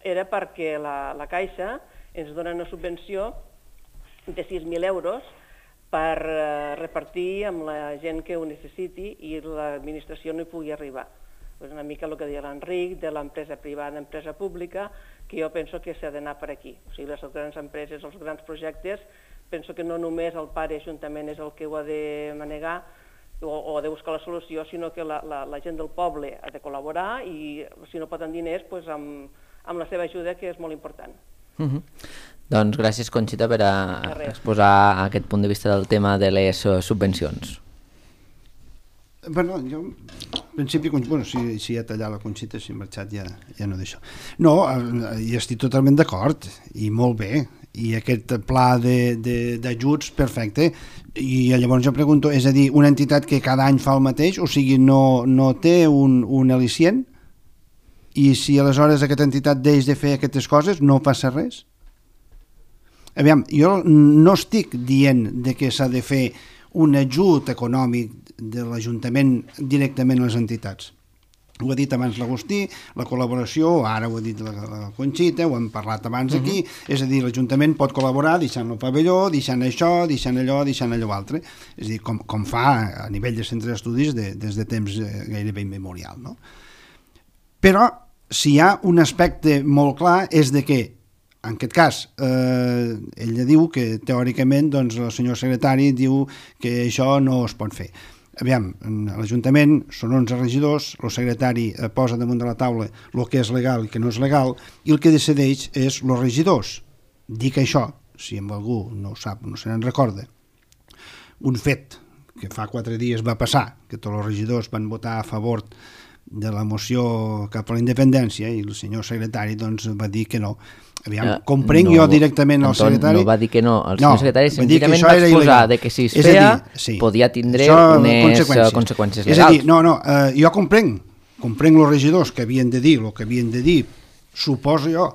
era perquè la Caixa ens dona una subvenció de 6.000 euros per repartir amb la gent que ho necessiti i l'administració no hi pugui arribar. És una mica el que deia l'Enric, de l'empresa privada a empresa pública, que jo penso que s'ha d'anar per aquí. O sigui, les grans empreses, els grans projectes, penso que no només el pare Ajuntament és el que ho ha de manegar o ha de buscar la solució, sinó que la gent del poble ha de col·laborar i si no poden diners, amb la seva ajuda, que és molt important. Doncs gràcies, Conxita, per exposar aquest punt de vista del tema de les subvencions. Bueno, jo, en principi, si ha tallat la Conxita, si ha marxat ja no d'això. No, hi estic totalment d'acord, i molt bé, i aquest pla d'ajuts, perfecte, i llavors jo pregunto, és a dir, una entitat que cada any fa el mateix, o sigui, no té un al·licient, i si aleshores aquesta entitat deix de fer aquestes coses, no passa res? Aviam, jo no estic dient que s'ha de fer un ajut econòmic de l'Ajuntament directament a les entitats. Ho ha dit abans l'Agustí, la col·laboració, ara ho ha dit la Conxita, ho hem parlat abans aquí, és a dir, l'Ajuntament pot col·laborar deixant el pavelló, deixant això, deixant allò, deixant allò altre, és a dir, com fa a nivell de centre d'estudis des de temps gairebé immemorial, no? Però si hi ha un aspecte molt clar és de que, en aquest cas, ella diu que teòricament el senyor secretari diu que això no es pot fer. Aviam, a l'Ajuntament són 11 regidors, el secretari posa damunt de la taula el que és legal i el que no és legal, i el que decideix és els regidors. Dic això, si algú no ho sap, no se n'en recorda, un fet que fa 4 dies va passar, que tots els regidors van votar a favor de la moció cap a la independència i el senyor secretari va dir que no. Aviam, comprenc jo directament el secretari... No va dir que no, el senyor secretari senzillament va exposar que si es feia podia tindre unes conseqüències legals. És a dir, jo comprenc els regidors que havien de dir el que havien de dir, suposo jo,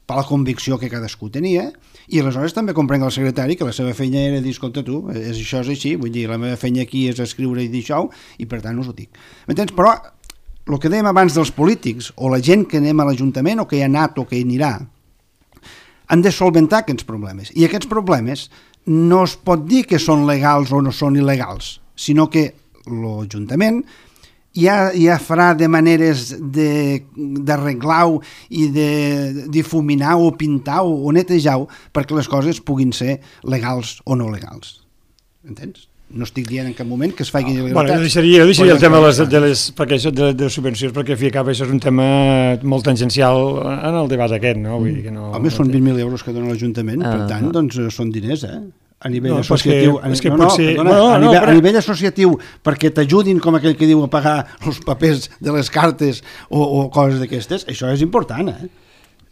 per la convicció que cadascú tenia, i aleshores també comprenc el secretari que la seva feina era dir, escolta tu, això és així, vull dir, la meva feina aquí és escriure i dir això, i per tant us ho dic. M'entens? Però el que dèiem abans dels polítics, o la gent que anem a l'Ajuntament, o que hi ha anat o que hi anirà, han de solventar aquests problemes. I aquests problemes no es pot dir que són legals o no són il·legals, sinó que l'Ajuntament ja farà de maneres d'arreglar-ho i de difuminar o pintar o netejar-ho perquè les coses puguin ser legals o no legals. Entens? No estic dient en cap moment que es facin il·legalitats. Bueno, jo deixaria el tema de les subvencions, perquè al fi i al cap això és un tema molt tangencial en el debat aquest, no? Vull dir que no... Home, són 20.000 euros que dona l'Ajuntament, per tant, doncs són diners, a nivell associatiu. A nivell associatiu, perquè t'ajudin, com aquell que diu, a pagar els papers de les cartes o coses d'aquestes, això és important,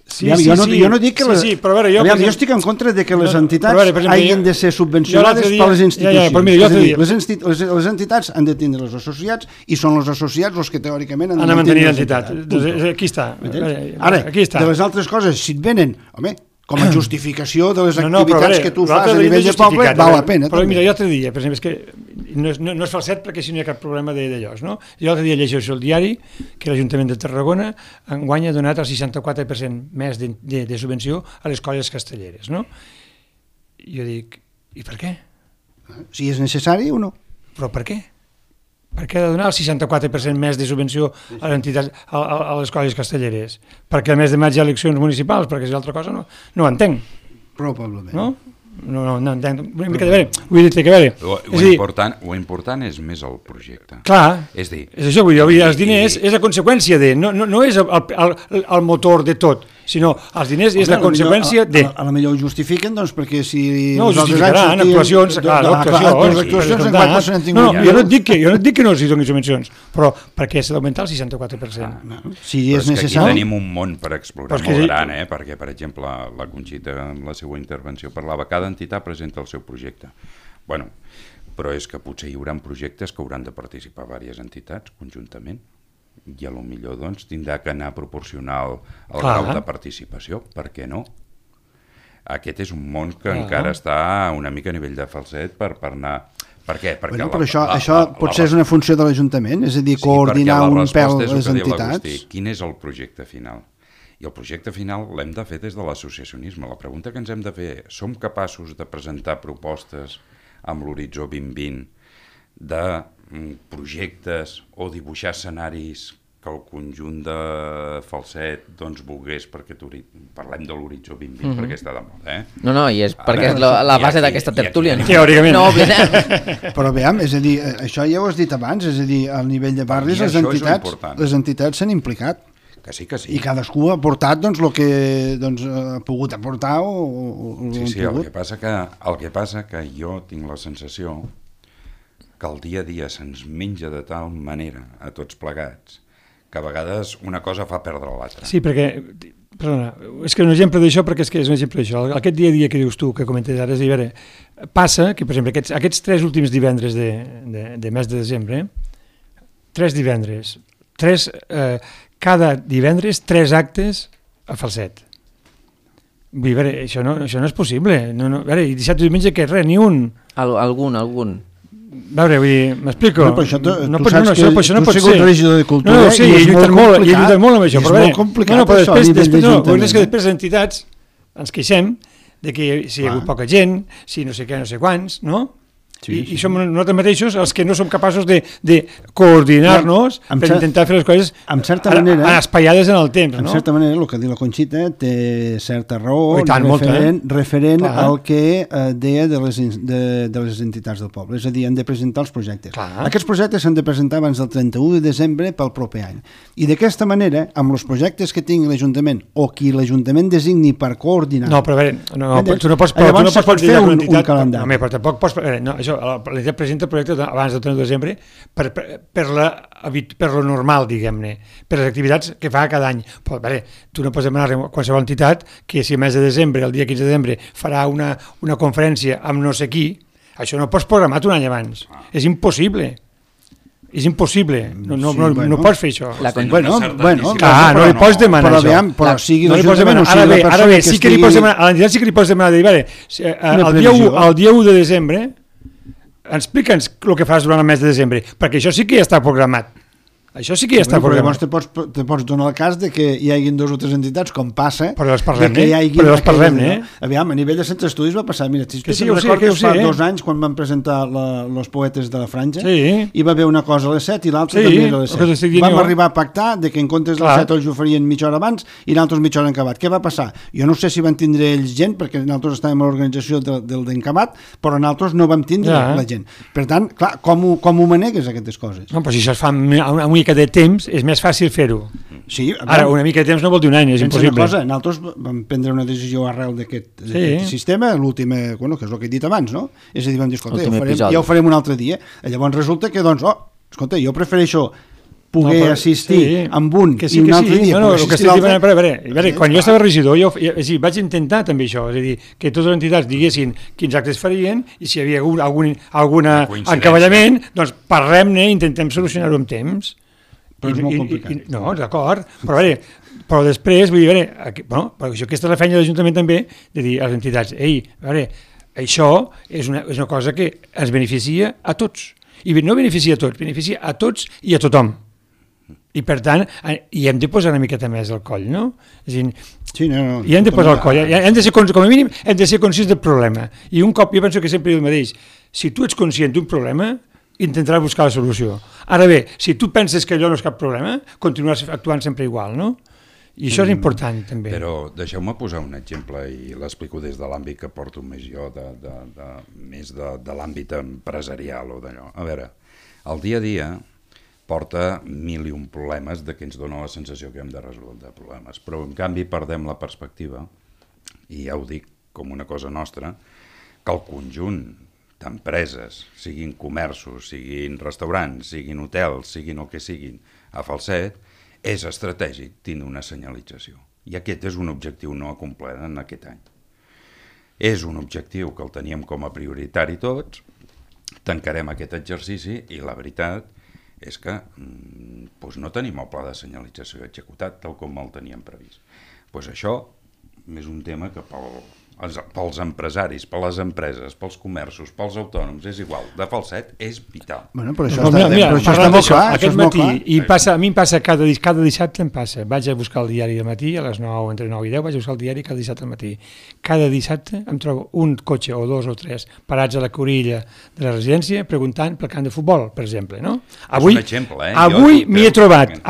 Jo no dic que jo estic en contra de que les entitats hagin de ser subvencionades per les institucions. Les entitats han de tindre els associats i són els associats els que teòricament han de mantenir l'entitat. Aquí està. Ara, de les altres coses, si et venen, home, com a justificació de les activitats que tu fas a nivell de poble, val la pena. Però mira, jo l'altre dia, per exemple, és que no és falset perquè si no hi ha cap problema d'allòs, no? Jo l'altre dia llegeixo el diari que l'Ajuntament de Tarragona enguany ha donat el 64% més de subvenció a les colles castelleres, no? I jo dic, i per què? Si és necessari o no? Però per què? Per què ha de donar el 64% més de subvenció a les colles castelleres? Perquè a més de maig hi ha eleccions municipals, perquè si l'altra cosa no ho entenc. Probablement. No? No entenc. Vull dir que a veure... Lo important és més el projecte. Clar, és això, vull dir, els diners és a conseqüència de... No és el motor de tot, sinó els diners és la conseqüència de... A la millor ho justifiquen, doncs, perquè si... No, ho justificaran, actuacions... Jo no et dic que no els donin subvencions, però perquè s'ha d'augmentar el 64%. Si és necessari... Aquí tenim un món per explorar molt gran, perquè, per exemple, la Conxita, en la seva intervenció, parlava cada entitat presenta el seu projecte. Bueno, però és que potser hi haurà projectes que hauran de participar diverses entitats conjuntament i a lo millor doncs tindrà que anar proporcional al grau de participació, per què no? Aquest és un món que encara està una mica a nivell de falset per anar... Per què? Però això potser és una funció de l'Ajuntament, és a dir, coordinar un pèl les entitats. Quin és el projecte final? I el projecte final l'hem de fer des de l'associacionisme. La pregunta que ens hem de fer, som capaços de presentar propostes amb l'horitzó 2020 de projectes o dibuixar escenaris que el conjunt de Falset doncs volgués, perquè parlem de l'horitzó 2020 perquè està de moda, No, i és perquè és la base d'aquesta tertúlia. Teòricament. No oblidem. Però veiem, és a dir, això ja ho has dit abans, és a dir, al nivell de barris les entitats s'han implicat. Que sí. I cadascú ha aportat doncs, el que ha pogut aportar o Sí, el que passa que jo tinc la sensació que el dia a dia se'ns menja de tal manera a tots plegats que a vegades una cosa fa perdre l'altra. Sí, perquè, perdona, és que un exemple d'això, perquè és un exemple d'això, aquest dia a dia que dius tu, que comentes ara, és a dir, passa que, per exemple, aquests 3 últims divendres de mes de desembre, 3 divendres, cada divendres 3 actes a Falset. Vull dir, això no és possible. I dissabte i diumenge que res, ni un. Algun. A veure, vull dir, m'explico. Però això tu saps que tu has sigut regidor de cultura i és molt complicat. És molt complicat això. És que després les entitats ens queixem de que si hi ha hagut poca gent, si no sé què, no sé quants, no? I som nosaltres mateixos els que no som capaços de coordinar-nos per intentar fer les coses espaiades en el temps. En certa manera, el que diu la Conxita té certa raó referent al que deia de les entitats del poble. És a dir, han de presentar els projectes. Aquests projectes s'han de presentar abans del 31 de desembre pel proper any. I d'aquesta manera, amb els projectes que tingui l'Ajuntament o qui l'Ajuntament designi per coordinar... No, però a veure, tu no pots fer un calendari. No, però tampoc pots... L'entitat presenta el projecte abans del 31 de desembre per lo normal, diguem-ne, per les activitats que fa cada any. Però, tu no pots demanar a qualsevol entitat que si a mes de desembre, el dia 15 de desembre, farà una conferència amb no sé qui, això no pots programar un any abans. És impossible. És impossible. No pots fer això. No li pots demanar això. Però sigui l'Ajuntament... Ara bé, sí que li pots demanar, a l'entitat sí que li pots demanar, el dia 1 de desembre explica'ns el que fas durant el mes de desembre, perquè això sí que ja està programat. Això sí que ja està programat. Llavors te pots donar el cas de que hi hagi 2 o 3 entitats, com passa... Però les parlem, Aviam, a nivell de centres d'estudis va passar... Mira, si sí, recordes fa 2 anys, quan van presentar los poetes de la Franja, hi va haver una cosa a les 7 i l'altra també a les 7. Vam arribar a pactar de que en comptes de les 7 els ho farien mitja hora abans i nosaltres mitja hora encabat. Què va passar? Jo no sé si van tindre ells gent, perquè nosaltres estàvem a l'organització del d'encabat, però nosaltres no vam tindre la gent. Per tant, clar, com ho manegues aquestes coses? No, però si això es fa una mica de temps, és més fàcil fer-ho. Sí, ara, una mica de temps no vol dir un any, és impossible. Una cosa, nosaltres vam prendre una decisió arrel d'aquest sistema, l'última, que és el que he dit abans, no? És a dir, vam dir, escolta, ja ho farem un altre dia. Llavors resulta que, doncs, escolta, jo prefereixo poder assistir amb un i un altre dia. No, el que estic dient, a veure, quan jo estava regidor, vaig intentar també això, és a dir, que totes les entitats diguessin quins actes farien i si hi havia algun encavallament, doncs parlem-ne i intentem solucionar-ho amb temps. Però és molt complicat. No, d'acord, però després, vull dir, perquè aquesta és la feina de l'Ajuntament també, de dir a les entitats, això és una cosa que ens beneficia a tots. I no beneficia a tots, beneficia a tots i a tothom. I per tant, hi hem de posar una miqueta més al coll, no? És a dir, hi hem de posar al coll, com a mínim hem de ser conscients del problema. I un cop, jo penso que sempre diu el mateix, si tu ets conscient d'un problema, intentaràs buscar la solució. Ara bé, si tu penses que allò no és cap problema, continuaràs actuant sempre igual, no? I això és important, també. Però deixeu-me posar un exemple, i l'explico des de l'àmbit que porto més jo, més de l'àmbit empresarial o d'allò. A veure, el dia a dia porta 1.001 problemes de que ens dona la sensació que hem de resoldre problemes, però en canvi perdem la perspectiva, i ja ho dic com una cosa nostra, que el conjunt d'empreses, siguin comerços, siguin restaurants, siguin hotels, siguin el que siguin, a Falset, és estratègic tindre una senyalització. I aquest és un objectiu no acomplert en aquest any. És un objectiu que el teníem com a prioritari tots, tancarem aquest exercici i la veritat és que no tenim el pla de senyalització executat tal com el teníem previst. Això és un tema que pels empresaris, per les empreses, pels comerços, pels autònoms, és igual. De Falset és vital. Bueno, però això està molt clar. Aquest matí, a mi em passa cada dissabte em passa. Vaig a buscar el diari al matí, a les 9, entre 9 i 10, vaig a buscar el diari cada dissabte al matí. Cada dissabte em trobo un cotxe o 2 o 3 parats a la corilla de la residència preguntant pel camp de futbol, per exemple, no? És un exemple, Avui m'hi he trobat.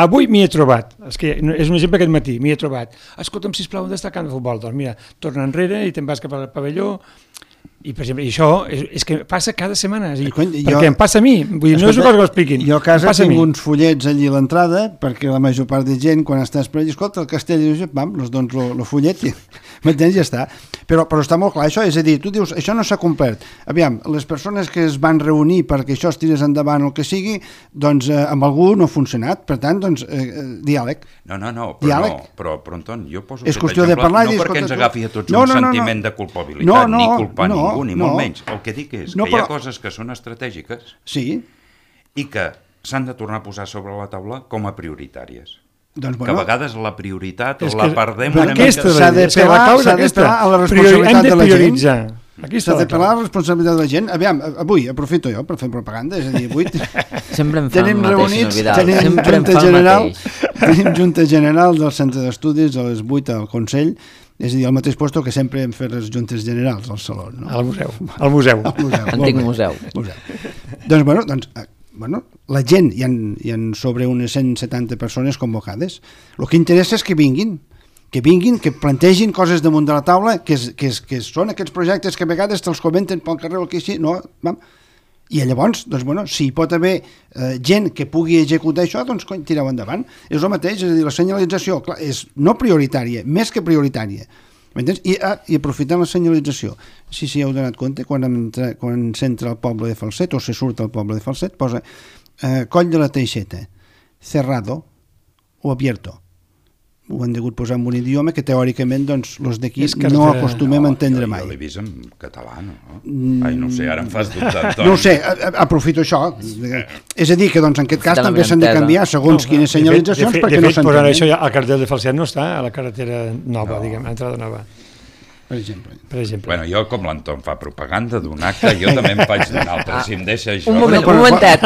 És que és un exemple aquest matí, m'hi he trobat. Escolta'm, sisplau, on està el camp de futbol? Doncs mira, torna enrere i te'n vas cap al pavelló i, per exemple, això és que passa cada setmana, perquè em passa a mi, vull dir, no és una cosa que ho expliquin. Jo a casa tinc uns fullets allí a l'entrada, perquè la major part de gent, quan estàs per allà, escolta, el castell, els dones el fullet i m'entens, ja està. Però està molt clar això, és a dir, tu dius, això no s'ha complert. Aviam, les persones que es van reunir perquè això es tirés endavant o el que sigui, doncs amb algú no ha funcionat, per tant, doncs, diàleg. Però Anton, jo poso aquest exemple, no perquè ens agafi a tots un sentiment de culpabilitat, ni culpar ningú, ni molt menys. El que dic és que hi ha coses que són estratègiques i que s'han de tornar a posar sobre la taula com a prioritàries. Que a vegades la prioritat la perdem una mica. S'ha d'apel·lar a la responsabilitat de la gent. S'ha d'apel·lar a la responsabilitat de la gent. Aviam, avui, aprofito jo per fer propaganda, és a dir, avui tenim reunits, tenim junta general del centre d'estudis a les 8 al Consell, és a dir, al mateix lloc que sempre hem fet les juntes generals al Saló. Al museu. Antic museu. Doncs, la gent, hi ha sobre unes 170 persones convocades. El que interessa és que vinguin, que plantegin coses damunt de la taula, que són aquests projectes que a vegades te'ls comenten pel carrer o el que així, no? I llavors, si hi pot haver gent que pugui executar això, doncs tireu endavant. És el mateix, és a dir, la senyalització és no prioritària, més que prioritària. M'entens? I aprofitant la senyalització, si heu donat compte, quan s'entra al poble de Falset o se surt al poble de Falset, posa Coll de la Teixeta, cerrado o abierto. Ho han degut posar en un idioma que teòricament doncs, els d'aquí no acostumem a entendre mai. Jo l'he vist en català, no? No sé, ara em fas dubtar. No ho sé, aprofito això. És a dir, que doncs, en aquest cas també s'han de canviar segons quines senyalitzacions perquè no s'entenen. De fet, això el cartell de Falset no està a la carretera nova, diguem, a l'entrada nova. Per exemple. Bueno, jo, com l'Anton fa propaganda d'un acte, jo també em faig d'un altre, si em deixa això. Un momentet,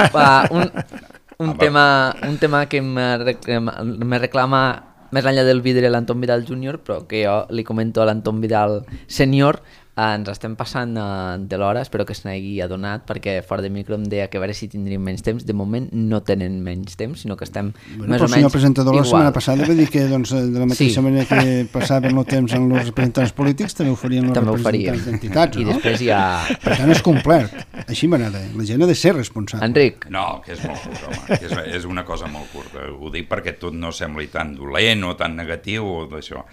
un tema que me reclama més enllà del vidre l'Anton Vidal Júnior, però que jo li comento a l'Anton Vidal Sènior. Ens estem passant de l'hora, espero que se n'hagi adonat, perquè fora de micro em deia que a veure si tindríem menys temps. De moment no tenen menys temps, sinó que estem més o menys igual. El senyor presentador la setmana passada va dir que doncs, de la mateixa manera que passaven el temps amb els representants polítics, també ho farien els representants d'entitats, no? I després ja... Per tant, és complet. Així m'agrada. La gent ha de ser responsable. Enric. No, que és molt curt, home. És una cosa molt curta. Ho dic perquè tot no sembli tan dolent o tan negatiu o d'això.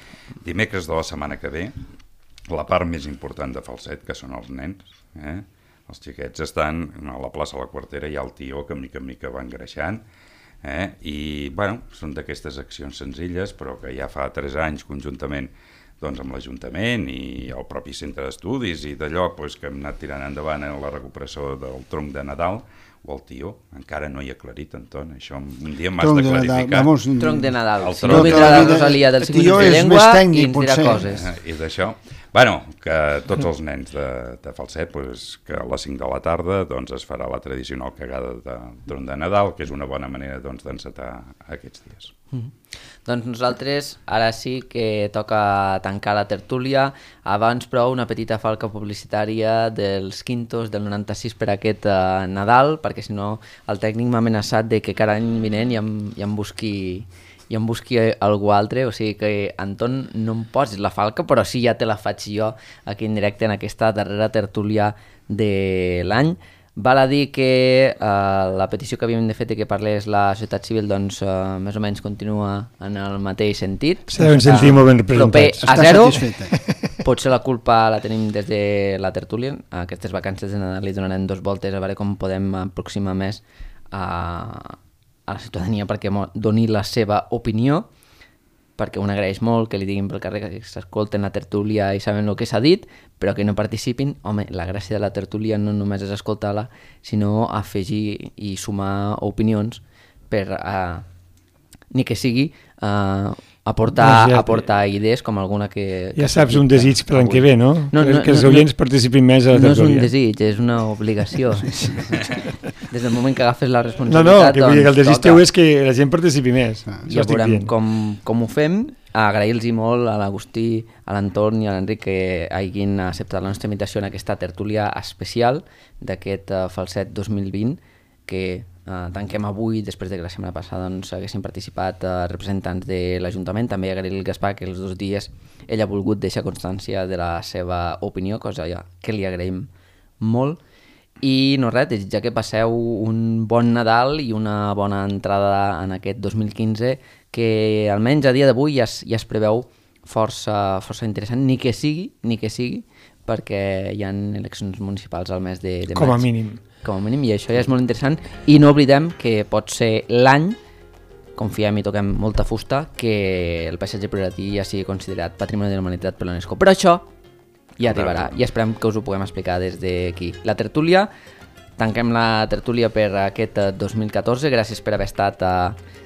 Dimecres de la setmana que ve, la part més important de Falset, que són els nens, els xiquets estan a la plaça de la Quartera, hi ha el tió que mica en mica va engreixant, i bueno, són d'aquestes accions senzilles, però que ja fa 3 anys conjuntament doncs, amb l'Ajuntament i el propi centre d'estudis i d'allò pues, que hem anat tirant endavant en la recuperació del tronc de Nadal, o el tió, encara no hi ha aclarit, Anton, això un dia m'has de clarificar. Tronc de Nadal, si no vindrà la Rosalia del 5 minuts de llengua i ens dirà coses. I d'això, bueno, que tots els nens de Falset, pues, que a les 5 de la tarda doncs, es farà la tradicional cagada de tronc de Nadal, que és una bona manera doncs, d'encetar aquests dies. Doncs nosaltres ara sí que toca tancar la tertúlia. Abans, però, una petita falca publicitària dels quintos del 96 per aquest Nadal, perquè si no el tècnic m'ha amenaçat de que cada any vinent ja em busqui algú altre, o sigui que, Anton, no em posis la falca, però sí ja te la faig jo aquí en directe en aquesta darrera tertúlia de l'any. Val a dir que la petició que havíem de fer que parlés la societat civil doncs més o menys continua en el mateix sentit. Se deuen sentir molt ben representats. Proper a 0. Potser la culpa la tenim des de la tertúlia. Aquestes vacances de Nadal li donarem 2 voltes a veure com podem aproximar més a la ciutadania perquè doni la seva opinió, perquè un agraeix molt que li diguin pel carrer que s'escolten la tertúlia i saben el que s'ha dit, però que no participin. Home, la gràcia de la tertúlia no només és escoltar-la, sinó afegir i sumar opinions per, ni que sigui, aportar idees com alguna que... Ja saps un desig per l'any que ve, no? Que els oients participin més a la tertúlia. No és un desig, és una obligació. Des del moment que agafes la responsabilitat... No, que el desig teu és que la gent participi més. Ja veurem com ho fem. Agrair-los molt a l'Agustí, a l'Anton i a l'Enric que hagin acceptat la nostra invitació en aquesta tertúlia especial d'aquest Falset 2020 que tanquem avui, després de que la setmana passada doncs, haguessin participat representants de l'Ajuntament. També agrair al Gaspar que els 2 dies ell ha volgut deixar constància de la seva opinió, cosa que li agraïm molt. I no res, desitjar que passeu un bon Nadal i una bona entrada en aquest 2015 que almenys a dia d'avui ja es preveu força interessant, ni que sigui perquè hi ha eleccions municipals al mes de maig. Com a mínim, i això ja és molt interessant. I no oblidem que pot ser l'any, confiem i toquem molta fusta, que el paisatge prioratí ja sigui considerat Patrimoni de la Humanitat per l'UNESCO. Però això ja arribarà i esperem que us ho puguem explicar des d'aquí. La tertúlia, tanquem la tertúlia per aquest 2014. Gràcies per haver estat,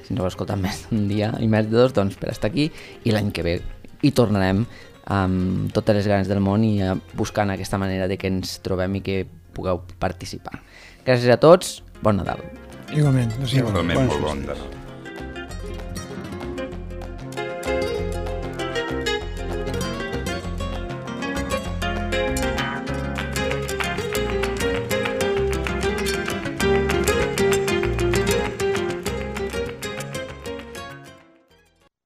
si no heu escoltat més d'un dia i més de 2, doncs per estar aquí. I l'any que ve hi tornarem amb totes les ganes del món i buscant aquesta manera de que ens trobem i que pugueu participar. Gràcies a tots, bon Nadal. Igualment. Igualment, molt bon Nadal.